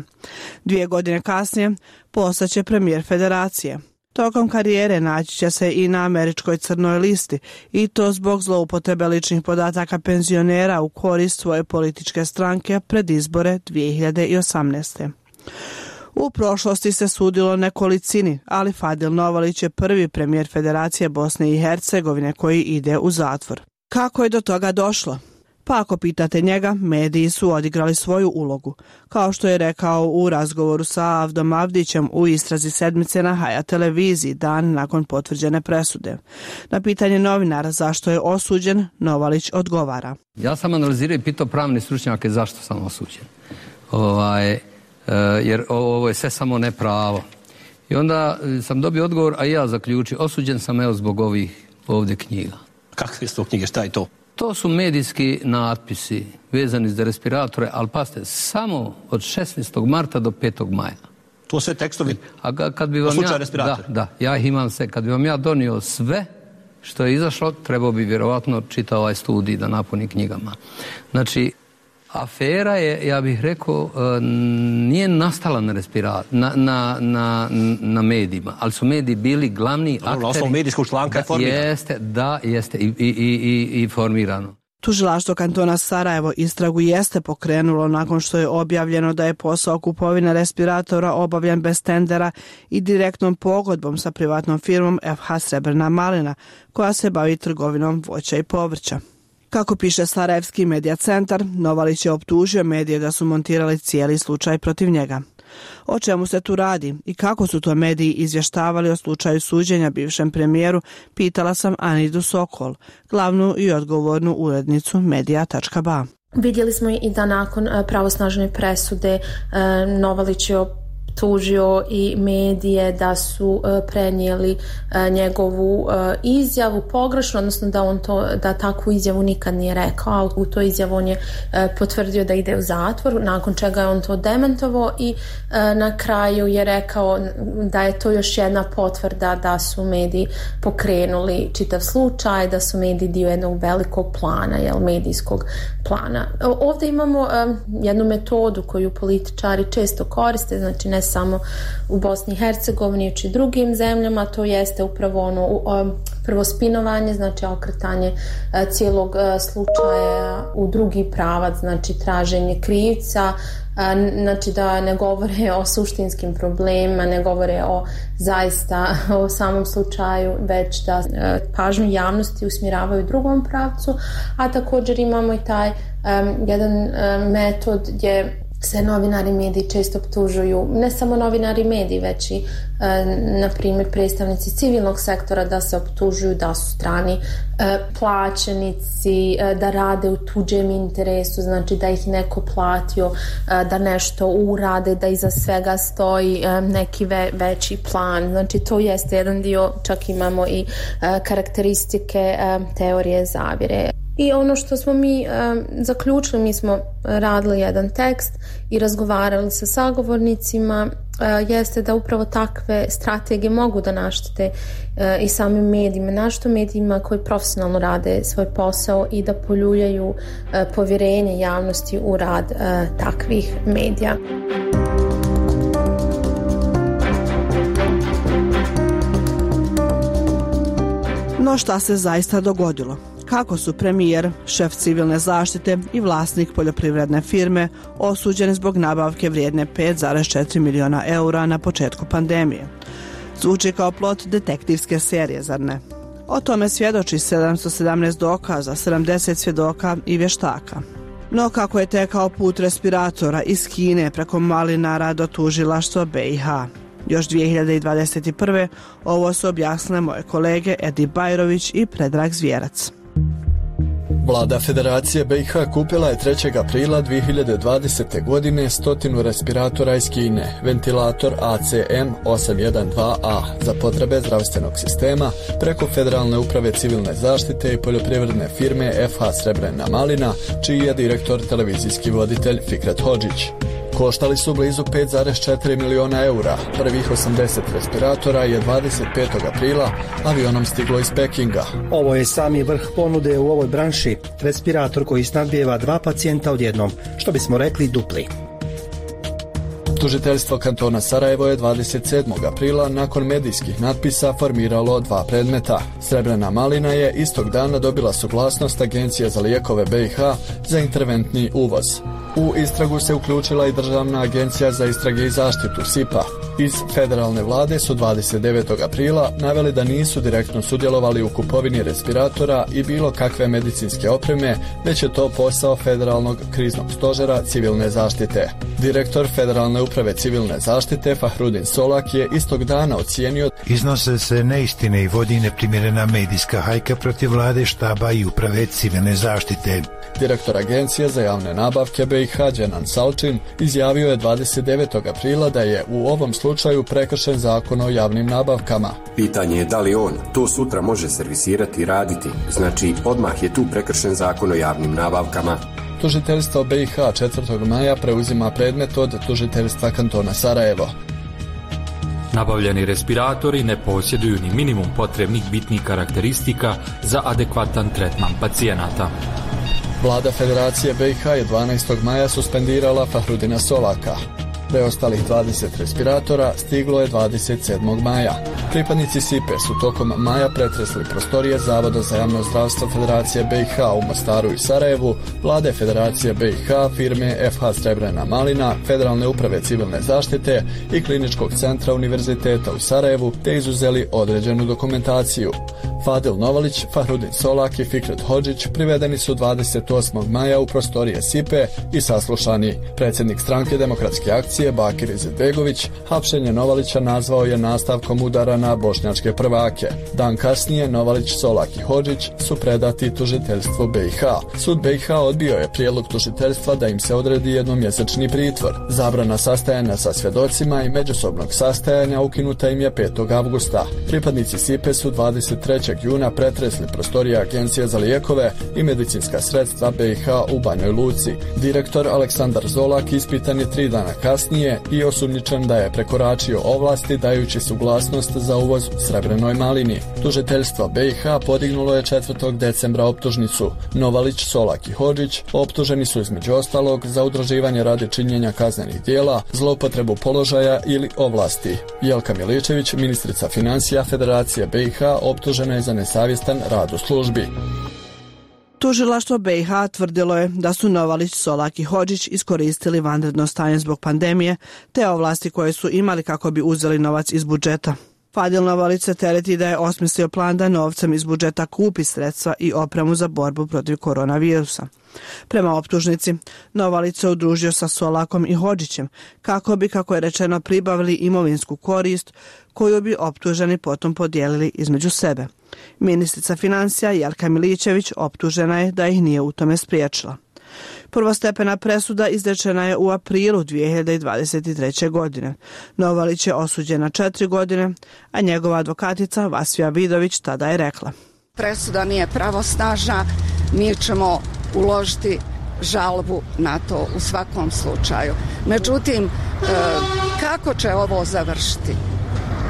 2 godine kasnije postaće premijer federacije. Tokom karijere naći će se i na američkoj crnoj listi, i to zbog zloupotrebe ličnih podataka penzionera u korist svoje političke stranke pred izbore 2018. U prošlosti se sudilo nekolicini, ali Fadil Novalić je prvi premijer Federacije Bosne i Hercegovine koji ide u zatvor. Kako je do toga došlo? Pa ako pitate njega, mediji su odigrali svoju ulogu, kao što je rekao u razgovoru sa Avdom Avdićem u istrazi sedmice na Haja televiziji dan nakon potvrđene presude. Na pitanje novinara zašto je osuđen, Novalić odgovara. Ja sam analizirao i pitao pravne stručnjake zašto sam osuđen. Jer ovo je sve samo nepravo. I onda sam dobio odgovor, a ja zaključio, osuđen sam zbog ovih ovdje knjiga. Kakve su to knjige, šta je to? To su medijski natpisi vezani za respiratore, ali pazite, samo od 16. marta do 5. maja. To sve tekstovi kad bi vam slučaju respiratora? Da, ja ih imam sve. Kad bi vam ja donio sve što je izašlo, trebao bi vjerovatno čitao ovaj studij da napuni knjigama. Znači, afera je, ja bih rekao, nije nastala na na medijima, ali su mediji bili glavni akteri. Na osnovu medijskog članka je formirano. Jeste i formirano. Tužilaštvo kantona Sarajevo istragu jeste pokrenulo nakon što je objavljeno da je posao kupovine respiratora obavljan bez tendera i direktnom pogodbom sa privatnom firmom FH Srebrna Malina, koja se bavi trgovinom voća i povrća. Kako piše Sarajevski medija centar, Novalić je optužio medije da su montirali cijeli slučaj protiv njega. O čemu se tu radi i kako su to mediji izvještavali o slučaju suđenja bivšem premijeru, pitala sam Anidu Sokol, glavnu i odgovornu urednicu Medija.ba. Vidjeli smo i da nakon pravosnažne presude Novalić je tužio i medije da su prenijeli njegovu izjavu pogrešno, odnosno da takvu izjavu nikad nije rekao. U toj izjavu on je potvrdio da ide u zatvor, nakon čega je on to demantovao i na kraju je rekao da je to još jedna potvrda da su mediji pokrenuli čitav slučaj, da su mediji dio jednog velikog plana, medijskog plana. Ovdje imamo jednu metodu koju političari često koriste, znači ne samo u Bosni i Hercegovini i drugim zemljama, to jeste upravo prvo spinovanje, znači okretanje cijelog slučaja u drugi pravac, znači traženje krivca, znači da ne govore o suštinskim problemima, ne govore o samom slučaju, već da pažnju javnosti usmjeravaju u drugom pravcu, a također imamo i taj jedan metod gdje se novinari mediji često optužuju, ne samo novinari mediji, već i na primjer predstavnici civilnog sektora da se optužuju da su strani plaćenici, da rade u tuđem interesu, znači da ih neko platio da nešto urade, da iza svega stoji neki veći plan. Znači to jeste jedan dio, čak imamo i karakteristike teorije zavjere. I ono što smo mi zaključili, mi smo radili jedan tekst i razgovarali sa sagovornicima, jeste da upravo takve strategije mogu da naštete i samim medijima, našto medijima koji profesionalno rade svoj posao i da poljuljaju povjerenje javnosti u rad takvih medija. No šta se zaista dogodilo? Kako su premijer, šef civilne zaštite i vlasnik poljoprivredne firme osuđeni zbog nabavke vrijedne 5,4 miliona eura na početku pandemije? Zvuči kao plot detektivske serije, zar ne? O tome svjedoči 717 dokaza, 70 svjedoka i vještaka. No kako je tekao put respiratora iz Kine preko Malinara do tužilaštva BiH? Još 2021. ovo su objasnile moje kolege Edi Bajrović i Predrag Zvjerac. Vlada Federacije BiH kupila je 3. aprila 2020. godine 100 respiratora iz Kine, ventilator ACM 812A za potrebe zdravstvenog sistema preko Federalne uprave civilne zaštite i poljoprivredne firme FH Srebrna Malina, čiji je direktor televizijski voditelj Fikret Hodžić. Koštali su blizu 5,4 miliona eura. Prvih 80 respiratora je 25. aprila avionom stiglo iz Pekinga. Ovo je sami vrh ponude u ovoj branši. Respirator koji snabdijeva 2 pacijenta odjednom, što bismo rekli dupli. Tužiteljstvo kantona Sarajevo je 27. aprila nakon medijskih natpisa formiralo 2 predmeta. Srebrna Malina je istog dana dobila suglasnost Agencije za lijekove BiH za interventni uvoz. U istragu se uključila i Državna agencija za istrage i zaštitu SIPA. Iz federalne vlade su 29. aprila naveli da nisu direktno sudjelovali u kupovini respiratora i bilo kakve medicinske opreme, već je to posao Federalnog kriznog stožera civilne zaštite. Direktor Federalne uprave civilne zaštite Fahrudin Solak je istog dana ocijenio: iznose se neistine i vodi neprimjerena medijska hajka protiv vlade, štaba i uprave civilne zaštite. Direktor Agencije za javne nabavke BiH Dženan Salčin izjavio je 29. aprila da je u ovom slučaju prekršen zakon o javnim nabavkama. Pitanje je da li on to sutra može servisirati i raditi, znači odmah je tu prekršen zakon o javnim nabavkama. Tužiteljstvo BiH 4. maja preuzima predmet od tužiteljstva kantona Sarajevo. Nabavljeni respiratori ne posjeduju ni minimum potrebnih bitnih karakteristika za adekvatan tretman pacijenata. Vlada Federacije BiH je 12. maja suspendirala Fahrudina Solaka. Preostalih 20 respiratora stiglo je 27. maja. Pripadnici SIPE su tokom maja pretresli prostorije Zavoda za javno zdravstvo Federacije BiH u Mostaru i Sarajevu, Vlade Federacije BiH, firme FH Srebrena Malina, Federalne uprave civilne zaštite i Kliničkog centra Univerziteta u Sarajevu, te izuzeli određenu dokumentaciju. Fadil Novalić, Fahrudin Solak i Fikret Hodžić privedeni su 28. maja u prostorije SIPE i saslušani. Predsjednik stranke Demokratske akcije Bakir Izetbegović hapšenje Novalića nazvao je nastavkom udara na bošnjačke prvake. Dan kasnije Novalić, Solak i Hodžić su predati tužiteljstvu BiH. Sud BiH odbio je prijedlog tužiteljstva da im se odredi jednomjesečni pritvor. Zabrana sastajanja sa svjedocima i međusobnog sastajanja ukinuta im je 5. avgusta. Pripadnici SIPE su 23. juna pretresli prostorije Agencije za lijekove i medicinska sredstva BiH u Banjoj Luci. Direktor Aleksandar Zolak ispitan je 3 dana kasnije i osumnjičen da je prekoračio ovlasti dajući suglasnost za uvoz srebrenoj malini. Tužiteljstvo BiH podignulo je 4. decembra optužnicu. Novalić, Solak i Hodžić optuženi su između ostalog za udruživanje radi činjenja kaznenih djela, zloupotrebu položaja ili ovlasti. Jelka Miličević, ministrica financija Federacije BiH, optužena je za nesavjestan rad u službi. Tužilaštvo BiH tvrdilo je da su Novalić, Solak i Hodžić iskoristili vanredno stanje zbog pandemije te ovlasti koje su imali kako bi uzeli novac iz budžeta. Fadil Novalić se tereti da je osmislio plan da novcem iz budžeta kupi sredstva i opremu za borbu protiv koronavirusa. Prema optužnici, Novalić se udružio sa Solakom i Hodžićem kako bi, kako je rečeno, pribavili imovinsku korist koju bi optuženi potom podijelili između sebe. Ministrica financija Jelka Miličević optužena je da ih nije u tome spriječila. Prvostepena presuda izrečena je u aprilu 2023. godine. Novalić je osuđen na 4 godine, a njegova advokatica Vasfija Vidović tada je rekla: presuda nije pravosnažna, mi ćemo uložiti žalbu na to u svakom slučaju. Međutim, kako će ovo završiti?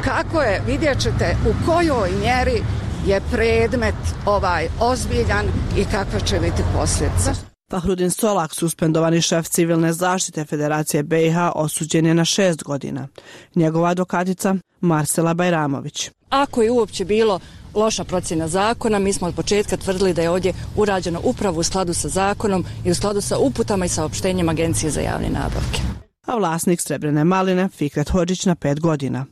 Kako je, vidjet ćete u kojoj mjeri je predmet ovaj ozbiljan i kakva će biti posljedica. Fahrudin Solak, suspendovani šef civilne zaštite Federacije BiH, osuđen je na 6 godina. Njegova advokatica Marsela Bajramović. Ako je uopće bilo loša procjena zakona, mi smo od početka tvrdili da je ovdje urađeno upravo u skladu sa zakonom i u skladu sa uputama i saopštenjem Agencije za javne nabavke. A vlasnik srebrene maline Fikret Hodžić na 5 godina.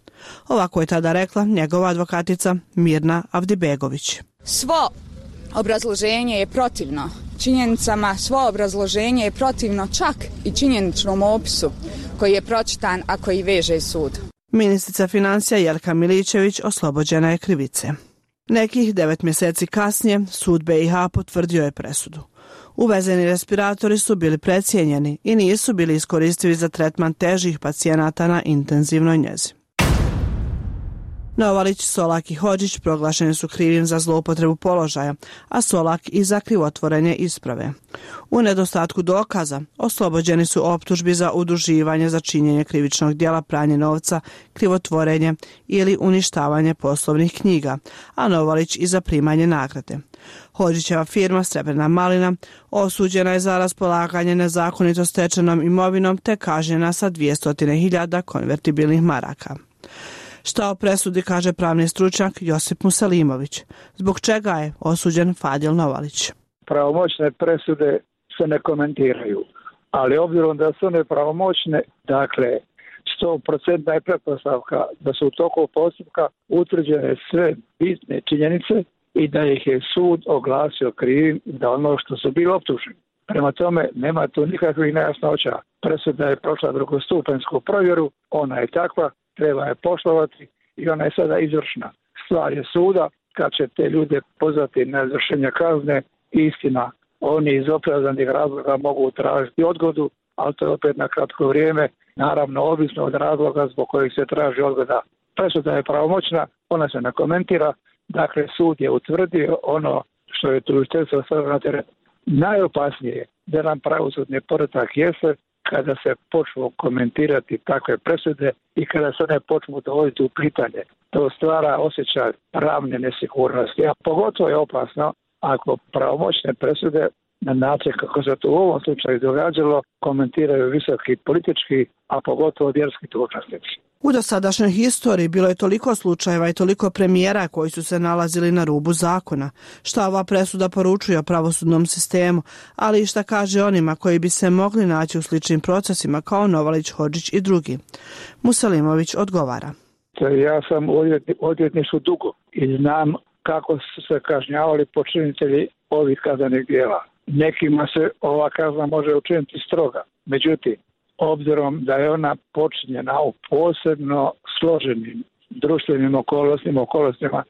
Ovako je tada rekla njegova advokatica Mirna Avdibegović. Svo obrazloženje je protivno činjenicama, svo obrazloženje je protivno čak i činjeničnom opisu koji je pročitan, a koji veže sud. Ministrica financija Jelka Miličević oslobođena je krivice. Nekih 9 mjeseci kasnije sud BiH potvrdio je presudu. Uvezeni respiratori su bili precijenjeni i nisu bili iskoristivi za tretman težih pacijenata na intenzivnoj njezi. Novalić, Solak i Hodžić proglašeni su krivim za zloupotrebu položaja, a Solak i za krivotvorenje isprave. U nedostatku dokaza oslobođeni su optužbi za udruživanje za činjenje krivičnog djela, pranje novca, krivotvorenje ili uništavanje poslovnih knjiga, a Novalić i za primanje nagrade. Hodžićeva firma Srebrna malina osuđena je za raspolaganje nezakonito stečenom imovinom te kažnjena sa 200.000 konvertibilnih maraka. Šta o presudi kaže pravni stručnjak Josip Musalimović, zbog čega je osuđen Fadil Novalić. Pravomoćne presude se ne komentiraju. ali obzirom da su one pravomoćne, dakle 100% je pretpostavka da su u toku postupka utvrđene sve bitne činjenice i da ih je sud oglasio krivim za ono što su bili optuženi. Prema tome, nema tu nikakvih nejasnoća. Presuda je prošla drugostupensku provjeru, ona je takva, treba je poštovati i ona je sada izvršna. Stvar je suda kad će te ljude pozvati na izvršenje kazne. Istina, oni iz opravdanih razloga mogu tražiti odgodu, ali to je opet na kratko vrijeme, naravno ovisno od razloga zbog kojih se traži odgoda. Presuda je pravomoćna, ona se ne komentira, dakle sud je utvrdio ono što je tužiteljstvo stavilo na teret. Najopasnije je da nam pravosudni poredak jeste kada se počnu komentirati takve presude i kada se one počnu dovoditi u pitanje. To stvara osjećaj pravne nesigurnosti, a pogotovo je opasno ako pravomoćne presude na način kako se to u ovom slučaju događalo komentiraju visoki politički, a pogotovo vjerski dužnosnici. U dosadašnjoj historiji bilo je toliko slučajeva i toliko premijera koji su se nalazili na rubu zakona. Šta ova presuda poručuje o pravosudnom sistemu, ali i šta kaže onima koji bi se mogli naći u sličnim procesima kao Novalić, Hodžić i drugi. Musalimović odgovara. Ja sam u odvjetništvu dugo i znam kako su se kažnjavali počinitelji ovih kaznenih djela. Nekima se ova kazna može učiniti stroga. Međutim, obzirom da je ona počinjena u posebno složenim društvenim okolnostima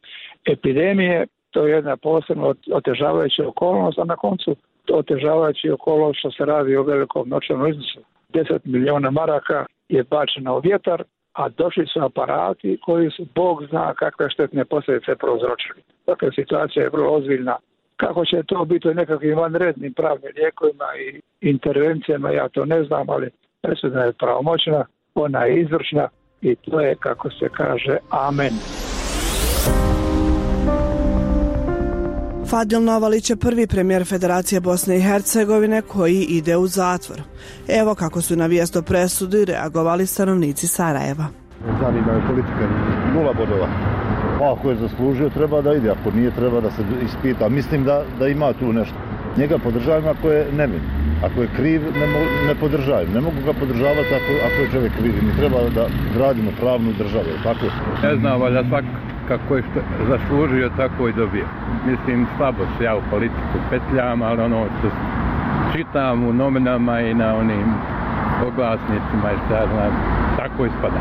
epidemije, to je jedna posebno otežavajuća okolnost, a na koncu otežavajući okolnost što se radi o velikom novčanom iznosu. 10 milijuna maraka je bačeno u vjetar, a došli su aparati koji su, Bog zna kakve štetne posljedice prouzročili. Dakle, situacija je vrlo ozbiljna. Kako će to biti u nekakvim vanrednim pravnim lijekovima i intervencijama, ja to ne znam, ali presuda je pravomoćna, ona je izvršna i to je, kako se kaže, amen. Fadil Novalić je prvi premijer Federacije Bosne i Hercegovine koji ide u zatvor. Evo kako su na vijest o presudi reagovali stanovnici Sarajeva. Zanima je politika 0 bodova. Ako je zaslužio, treba da ide, ako nije, treba da se ispita. Mislim da ima tu nešto. Njega podržavam ako je nevin. Ako je kriv, ne podržavam. Ne mogu ga podržavati ako je čovjek kriv. Mi treba da radimo pravnu državu, tako? Ne znam, valjda svak kako je zaslužio, tako i dobio. Mislim, slabo se ja u politiku petljam, ali ono što čitam u novinama i na onim oglasnicima i šta znam, tako ispada.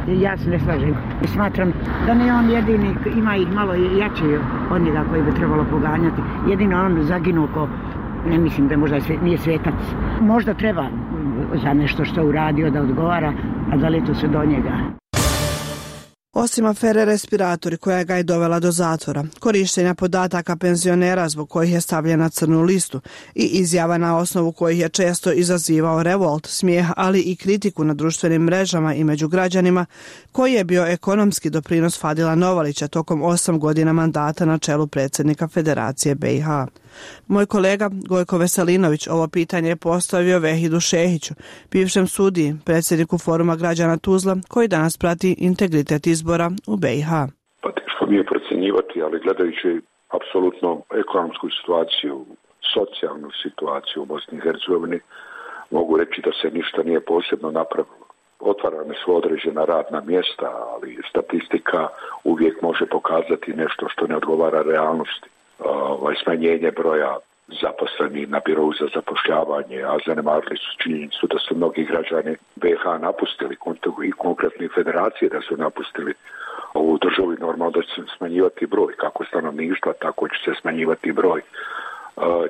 Ja se ne slažem. Smatram da ne on jedini, ima ih malo jači od njega koji bi trebalo poganjati. Jedino on zaginuo ko, ne mislim da možda nije svetac. Možda treba za nešto što uradio da odgovara, a da li to se do njega. Osim afere respiratori koja ga je dovela do zatvora, korištenja podataka penzionera zbog kojih je stavljen na crnu listu i izjava na osnovu kojih je često izazivao revolt, smijeh, ali i kritiku na društvenim mrežama i među građanima, koji je bio ekonomski doprinos Fadila Novalića tokom 8 godina mandata na čelu predsjednika Federacije BiH. Moj kolega Gojko Veselinović ovo pitanje je postavio Vehidu Šehiću, bivšem sudiji, predsjedniku Foruma građana Tuzla, koji danas prati integritet izbora u BiH. Pa teško mi je procjenjivati, ali gledajući apsolutno ekonomsku situaciju, socijalnu situaciju u Bosni i Hercegovini, mogu reći da se ništa nije posebno napravilo. Otvarane su određena radna mjesta, ali statistika uvijek može pokazati nešto što ne odgovara realnosti. Smanjenje broja zaposlenih na birovu za zapošljavanje, a zanemarili su činjenicu da su mnogi građani BiH napustili i konkretne federacije da su napustili ovu državu i normalno da će se smanjivati broj kako stanovništva, tako će se smanjivati broj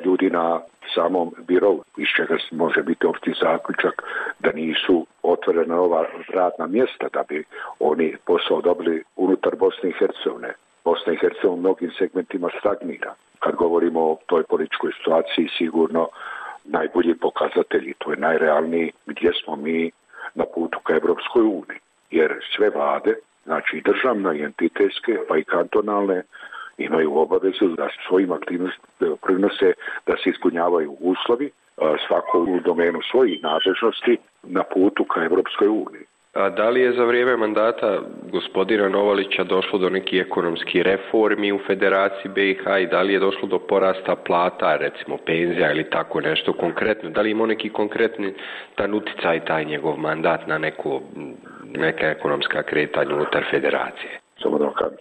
ljudi na samom birovu, iz čega može biti opšti zaključak da nisu otvorena ova radna mjesta da bi oni posao dobili unutar Bosne i Hercegovine. Bosna i Hercegovina u mnogim segmentima stagnira. Kad govorimo o toj političkoj situaciji, sigurno najbolji pokazatelji, to je najrealniji gdje smo mi na putu ka Evropskoj uniji. Jer sve vlade, znači i državne, i entitetske, pa i kantonalne, imaju obavezu da svojim aktivnostima prinose da se ispunjavaju uslovi, svako u domenu svojih nadležnosti na putu ka Evropskoj uniji. A da li je za vrijeme mandata gospodina Novalića došlo do nekih ekonomskih reformi u Federaciji BiH i da li je došlo do porasta plata, recimo penzija ili tako nešto konkretno? Da li ima neki konkretni uticaj taj njegov mandat na neka ekonomska kretanja unutar Federacije? Samo da kad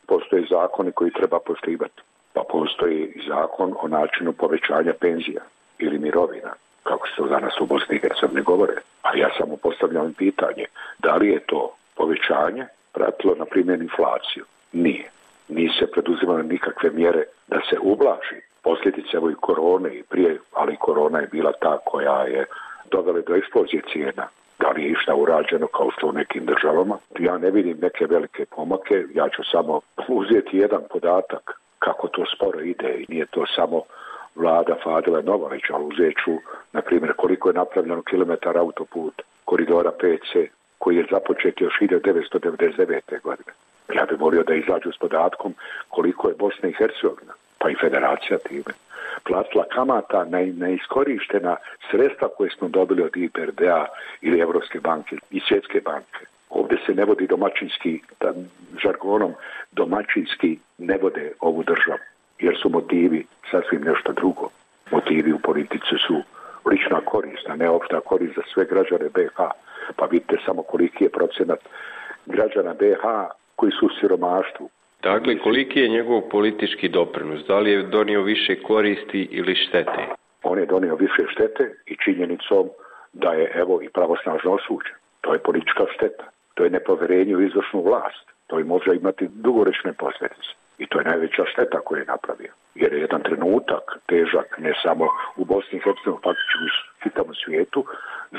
postoji zakoni koji treba poštivati. Pa postoji zakon o načinu povećanja penzija ili mirovina, kako se to danas u Bosni i Hercegovini govore. A ja samo postavljam pitanje, da li je to povećanje pratilo, na primjer, inflaciju? Nije. Nisu se preduzimale nikakve mjere da se ublaži posljedice evo i korone i prije, ali korona je bila ta koja je dovela do eksplozije cijena. Da li je išta urađeno kao što u nekim državama? Ja ne vidim neke velike pomake, ja ću samo uzeti jedan podatak kako to sporo ide i nije to samo vlada Fadila Novalića, ali uzet ću, na primjer, koliko je napravljeno kilometara autoput koridora 5C, koji je započet još 1999. godine. Ja bih volio da izađu s podatkom koliko je Bosna i Hercegovina, pa i Federacija time, platila kamata na neiskorištena sredstva koje smo dobili od IBRD-a ili Evropske banke i Svjetske banke. Ovdje se ne vodi domaćinski, žargonom domaćinski ne vode ovu državu, jer su motivi sasvim nešto drugo. Motivi u politici su lična korist, a ne opšta korist za sve građane BiH. Pa vidite samo koliki je procenat građana BiH koji su u siromaštvu. Dakle, koliki je njegov politički doprinos? Da li je donio više koristi ili štete? On je donio više štete i činjenicom da je evo i pravosnažno osuđen. To je politička šteta. To je nepovjerenje u izvršnu vlast. To i može imati dugoročne posljedice. I to je najveća šteta koju je napravio. Jer je jedan trenutak težak, ne samo u Bosni i Hercegovini, faktički u čitavom svijetu,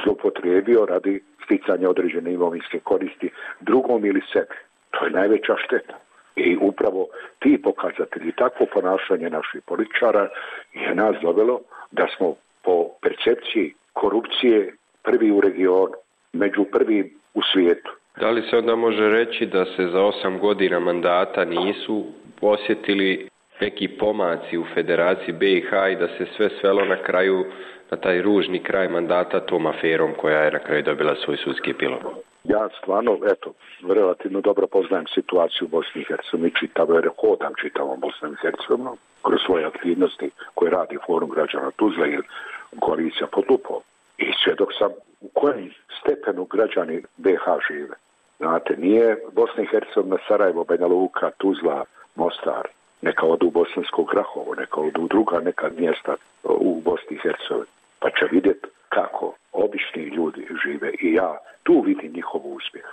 zloupotrijebio radi sticanja određene imovinske koristi drugom ili sebi. To je najveća šteta. I upravo ti pokazatelji, takvo ponašanje naših političara je nas dovelo da smo po percepciji korupcije prvi u regionu, među prvim u svijetu. Da li se onda može reći da se za 8 godina mandata nisu osjetili neki pomaci u Federaciji BiH i da se sve svelo na kraju na taj ružni kraj mandata tom aferom koja je na kraju dobila svoj sudski epilog? Ja stvarno, relativno dobro poznajem situaciju u Bosni i Hercegovini, hodam čitavom Bosnom i Hercegovinom kroz svoje aktivnosti koje radi Forum građana Tuzla ili koalicija pod lupom. I svjedok sam u kojem stepenu građani BiH žive. Znate, nije Bosna i Hercegovina, Sarajevo, Banja Luka, Tuzla, Mostar, neka odu u Bosansko Grahovo, neka odu u druga neka mjesta u Bosni i Hercegovini. Pa će vidjeti kako obični ljudi žive i ja tu vidim njihov uspjeh.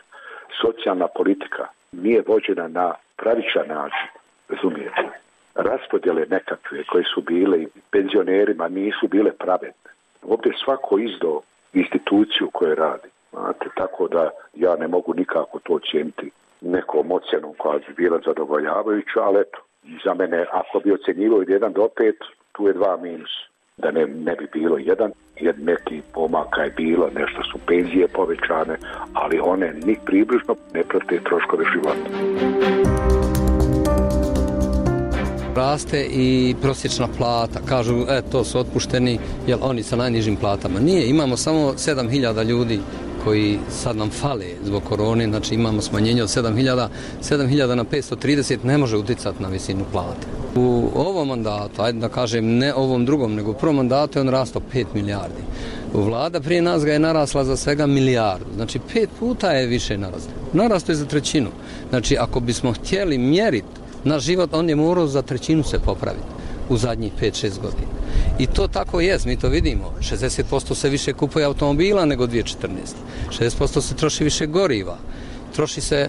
Socijalna politika nije vođena na pravičan način, razumijete. Raspodjele nekakve koje su bile i penzionerima nisu bile pravedne. Ovdje svako izdao instituciju koje radi. Znate, tako da ja ne mogu nikako to ocijeniti nekom ocjenom koja bi bila zadovoljavajuća, ali eto, za mene ako bi ocjenjivao od 1 do 5, tu je 2 minus. Da ne bi bilo 1, jer neki pomaka je bilo, nešto su penzije povećane, ali one ni približno ne prate troškove života. Raste i prosječna plata. Kažu, to su otpušteni, jer oni sa najnižim platama. Nije, imamo samo 7.000 ljudi koji sad nam fale zbog korone, znači imamo smanjenje od 7.000 na 530 ne može uticati na visinu plate. U ovom mandatu, ajde da kažem ne ovom drugom, nego u prvom mandatu je on rastao 5 milijardi. Vlada prije nas ga je narasla za svega milijardu, znači 5 puta je više narasla. Narastao je za 1/3. Znači ako bismo htjeli mjeriti naš život, on je morao za 1/3 se popraviti u zadnjih 5-6 godina. I to tako jest, mi to vidimo. 60% se više kupuje automobila nego 2014. 60% se troši više goriva. Troši se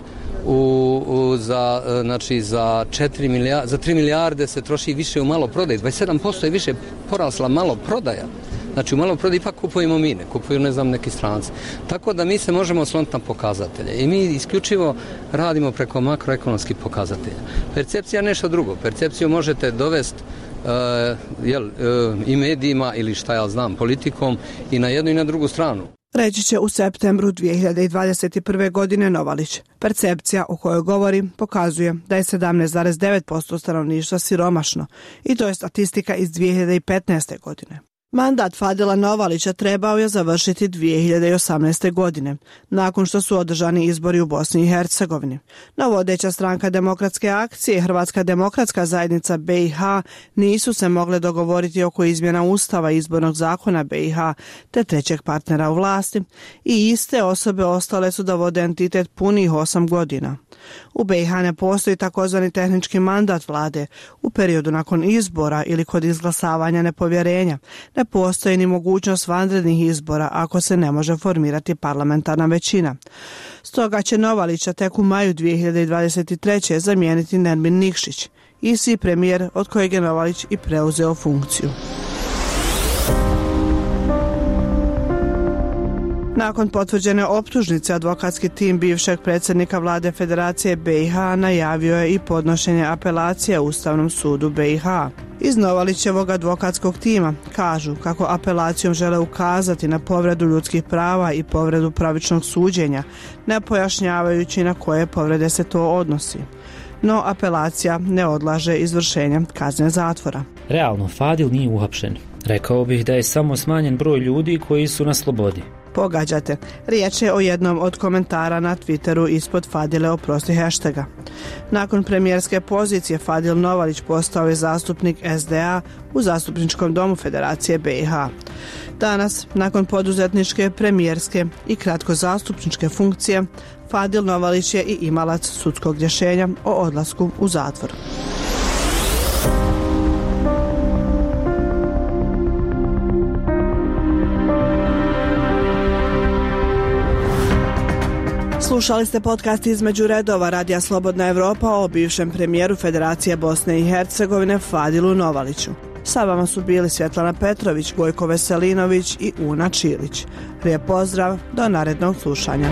za 3 milijarde se troši više u maloprodaji. 27% je više porasla maloprodaja. Znači u maloprodaji ipak kupujemo mi, ne kupuju neki stranci. Tako da mi se možemo osloniti na pokazatelje. I mi isključivo radimo preko makroekonomskih pokazatelja. Percepcija je nešto drugo. Percepciju možete dovesti i medijima ili šta ja znam, politikom i na jednu i na drugu stranu. Reći će u septembru 2021. godine Novalić. Percepcija o kojoj govori pokazuje da je 17,9% stanovništva siromašno i to je statistika iz 2015. godine. Mandat Fadila Novalića trebao je završiti 2018. godine, nakon što su održani izbori u Bosni i Hercegovini. No vodeća stranka Demokratske akcije i Hrvatska demokratska zajednica BiH nisu se mogle dogovoriti oko izmjena Ustava i izbornog zakona BiH te trećeg partnera u vlasti i iste osobe ostale su da vode entitet punih 8 godina. U BiH ne postoji takozvani tehnički mandat vlade u periodu nakon izbora ili kod izglasavanja nepovjerenja. Ne postoji ni mogućnost vanrednih izbora ako se ne može formirati parlamentarna većina. Stoga će Novalića tek u maju 2023. zamijeniti Nermin Nikšić, isti premijer od kojeg je Novalić i preuzeo funkciju. Nakon potvrđene optužnice, advokatski tim bivšeg predsjednika vlade Federacije BiH najavio je i podnošenje apelacije Ustavnom sudu BiH. Iz Novalićevog advokatskog tima kažu kako apelacijom žele ukazati na povredu ljudskih prava i povredu pravičnog suđenja, ne pojašnjavajući na koje povrede se to odnosi. No apelacija ne odlaže izvršenje kazne zatvora. Realno, Fadil nije uhapšen. Rekao bih da je samo smanjen broj ljudi koji su na slobodi. Pogađate, riječ je o jednom od komentara na Twitteru ispod Fadile oprosti hashtaga. Nakon premijerske pozicije Fadil Novalić postao je zastupnik SDA u Zastupničkom domu Federacije BiH. Danas, nakon poduzetničke, premijerske i kratko zastupničke funkcije, Fadil Novalić je i imalac sudskog rješenja o odlasku u zatvor. Slušali ste podcast Između redova Radija Slobodna Evropa o bivšem premijeru Federacije Bosne i Hercegovine Fadilu Novaliću. Sa vama su bili Svjetlana Petrović, Gojko Veselinović i Una Čilić. Lijep pozdrav, do narednog slušanja.